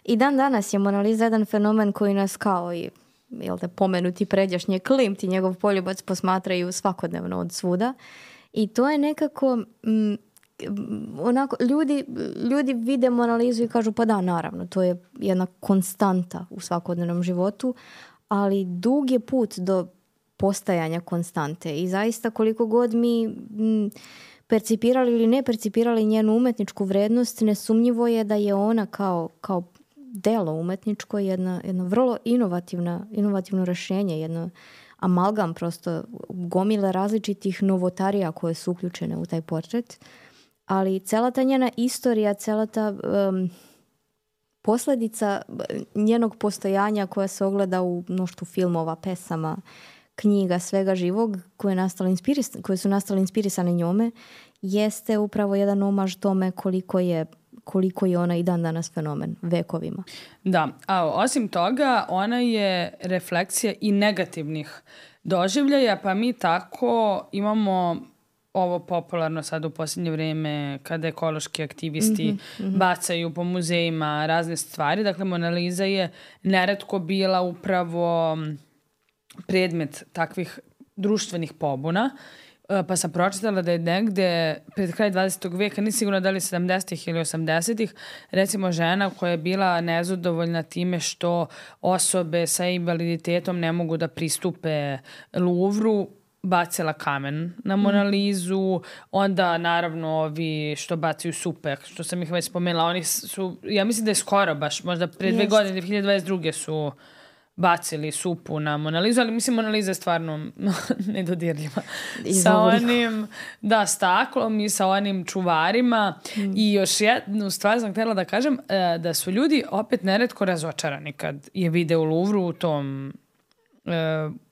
i dan danas je Mona Lisa jedan fenomen koji nas kao i jel te pomenuti pređašnje Klimt i njegov poljubac posmatraju svakodnevno od svuda i to je nekako m, onako, ljudi, ljudi vide Mona Lisu i kažu pa da, naravno, to je jedna konstanta u svakodnevnom životu, ali dug je put do postajanja konstante i zaista koliko god mi m, percipirali ili ne percipirali njenu umetničku vrednost, nesumnjivo je da je ona kao, kao delo umetničko jedna, jedno vrlo inovativna, inovativno rešenje, jedno amalgam prosto gomile različitih novotarija koje su uključene u taj portret. Ali cela ta njena istorija, cela ta um, posljedica njenog postojanja koja se ogleda u mnoštvu filmova, pesama, knjiga, svega živog koje, nastali inspiris- koje su nastali inspirisane njome, jeste upravo jedan omaž tome koliko je, koliko je ona i dan danas fenomen vekovima. Da, a osim toga ona je refleksija i negativnih doživljaja, pa mi tako imamo ovo popularno sad u posljednje vrijeme kada ekološki aktivisti mm-hmm, mm-hmm. bacaju po muzejima razne stvari. Dakle, Mona Lisa je neretko bila upravo predmet takvih društvenih pobuna. Pa sam pročitala da je negde pred kraj dvadesetog veka, nisam sigurna da li sedamdesetih ili osamdesetih, recimo žena koja je bila nezadovoljna time što osobe sa invaliditetom ne mogu da pristupe Louvru, bacila kamen na Mona Lizu, onda naravno ovi što bacaju supe, što sam ih već spomenula, oni su, ja mislim da je skoro baš, možda pre dve godine, dve hiljade dvadeset druge su bacili supu na Mona Lizu, ali mislim Mona Liza je stvarno nedodirljiva. Sa onim, da, staklom i sa onim čuvarima. Mm. I još jednu stvar sam htjela da kažem, da su ljudi opet neretko razočarani kad je vide u Louvru u tom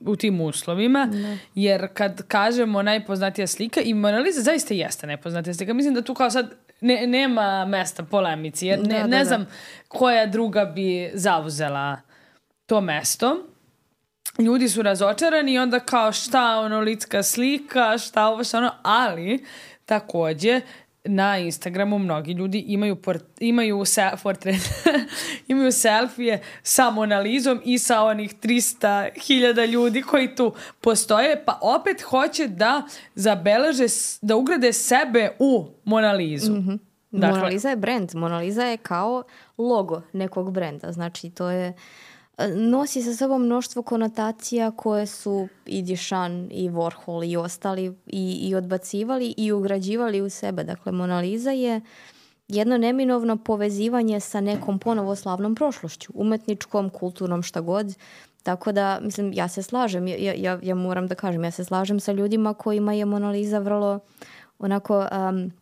u tim uslovima, ne. Jer kad kažemo najpoznatija slika, i Mona Lisa zaista jeste najpoznatija slika, mislim da tu kao sad ne, nema mesta polemici, jer ne, da, da, ne znam da. koja druga bi zauzela to mesto. Ljudi su razočarani i onda kao šta ono litska slika, šta ovo, šta ono, ali takođe na Instagramu mnogi ljudi imaju port, imaju se, portret, imaju selfije sa Mona Lizom i sa onih trista hiljada ljudi koji tu postoje, pa opet hoće da zabeleže, da ugrade sebe u Mona Lizu. Mm-hmm. Dakle, Mona Lisa je brand. Mona Lisa je kao logo nekog brenda. Znači, to je nosi sa sobom mnoštvo konotacija koje su i Duchamp i Warhol i ostali i, i odbacivali i ugrađivali u sebe. Dakle, Mona Lisa je jedno neminovno povezivanje sa nekom ponovo slavnom prošlošću, umetničkom, kulturnom, šta god. Tako da, mislim, ja se slažem, ja, ja, ja moram da kažem, ja se slažem sa ljudima kojima je Mona Lisa vrlo onako um,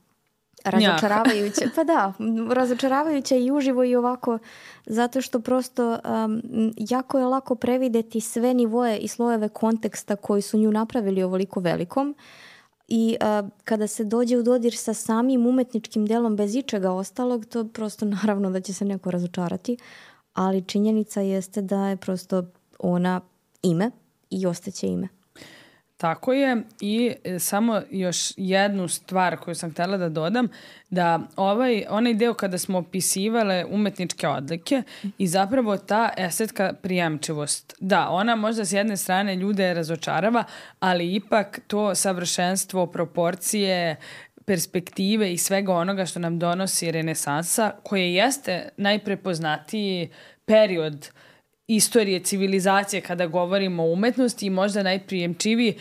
razočaravajuće. Pa da, razočaravajuće i uživo i ovako, zato što prosto um, jako je lako prevideti sve nivoje i slojeve konteksta koji su nju napravili ovoliko velikom. I uh, kada se dođe u dodir sa samim umetničkim delom bez ičega ostalog, to prosto naravno da će se neko razočarati, ali činjenica jeste da je prosto ona ime i ostaće ime. Tako je i samo još jednu stvar koju sam htjela da dodam, da ovaj, onaj deo kada smo opisivale umetničke odlike i zapravo ta estetka prijemčivost. Da, ona možda s jedne strane ljude razočarava, ali ipak to savršenstvo, proporcije, perspektive i svega onoga što nam donosi renesansa, koje jeste najprepoznatiji period istorije civilizacije kada govorimo o umetnosti i možda najprijemčiviji,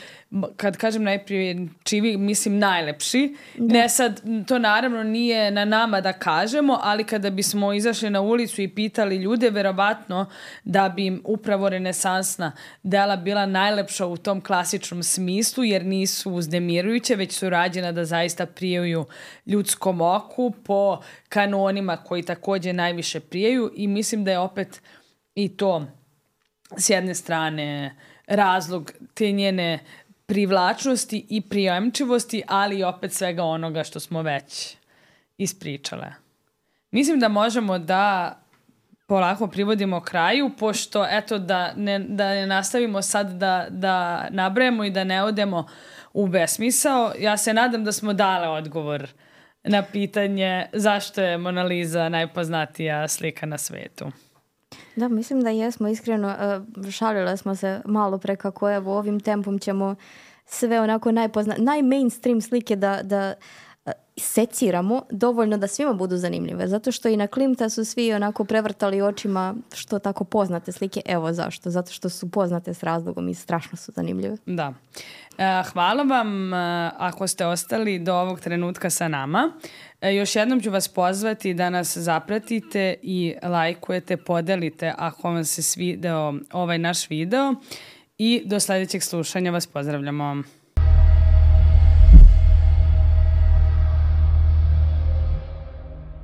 kad kažem najprijemčiviji, mislim najlepši. Da. Ne sad, to naravno nije na nama da kažemo, ali kada bismo izašli na ulicu i pitali ljude, verovatno da bi im upravo renesansna dela bila najlepša u tom klasičnom smislu, jer nisu uznemirujuće, već su rađena da zaista prijaju ljudskom oku po kanonima koji takođe najviše prijaju i mislim da je opet i to s jedne strane razlog te njene privlačnosti i prijemčivosti, ali i opet svega onoga što smo već ispričale. Mislim da možemo da polako privodimo kraju, pošto eto da ne, da ne nastavimo sad da, da nabrajemo i da ne odemo u besmisao. Ja se nadam da smo dale odgovor na pitanje zašto je Mona Lisa najpoznatija slika na svetu. Da, mislim da jesmo, iskreno šalile smo se malo pre kako evo ovim tempom ćemo sve onako najpozna, najmainstream slike da, da seciramo dovoljno da svima budu zanimljive, zato što i na Klimta su svi onako prevrtali očima što tako poznate slike, evo zašto, zato što su poznate s razlogom i strašno su zanimljive. Da. Hvala vam ako ste ostali do ovog trenutka sa nama. Još jednom ću vas pozvati da nas zapratite i lajkujete, podelite ako vam se svideo ovaj naš video i do sljedećeg slušanja vas pozdravljamo.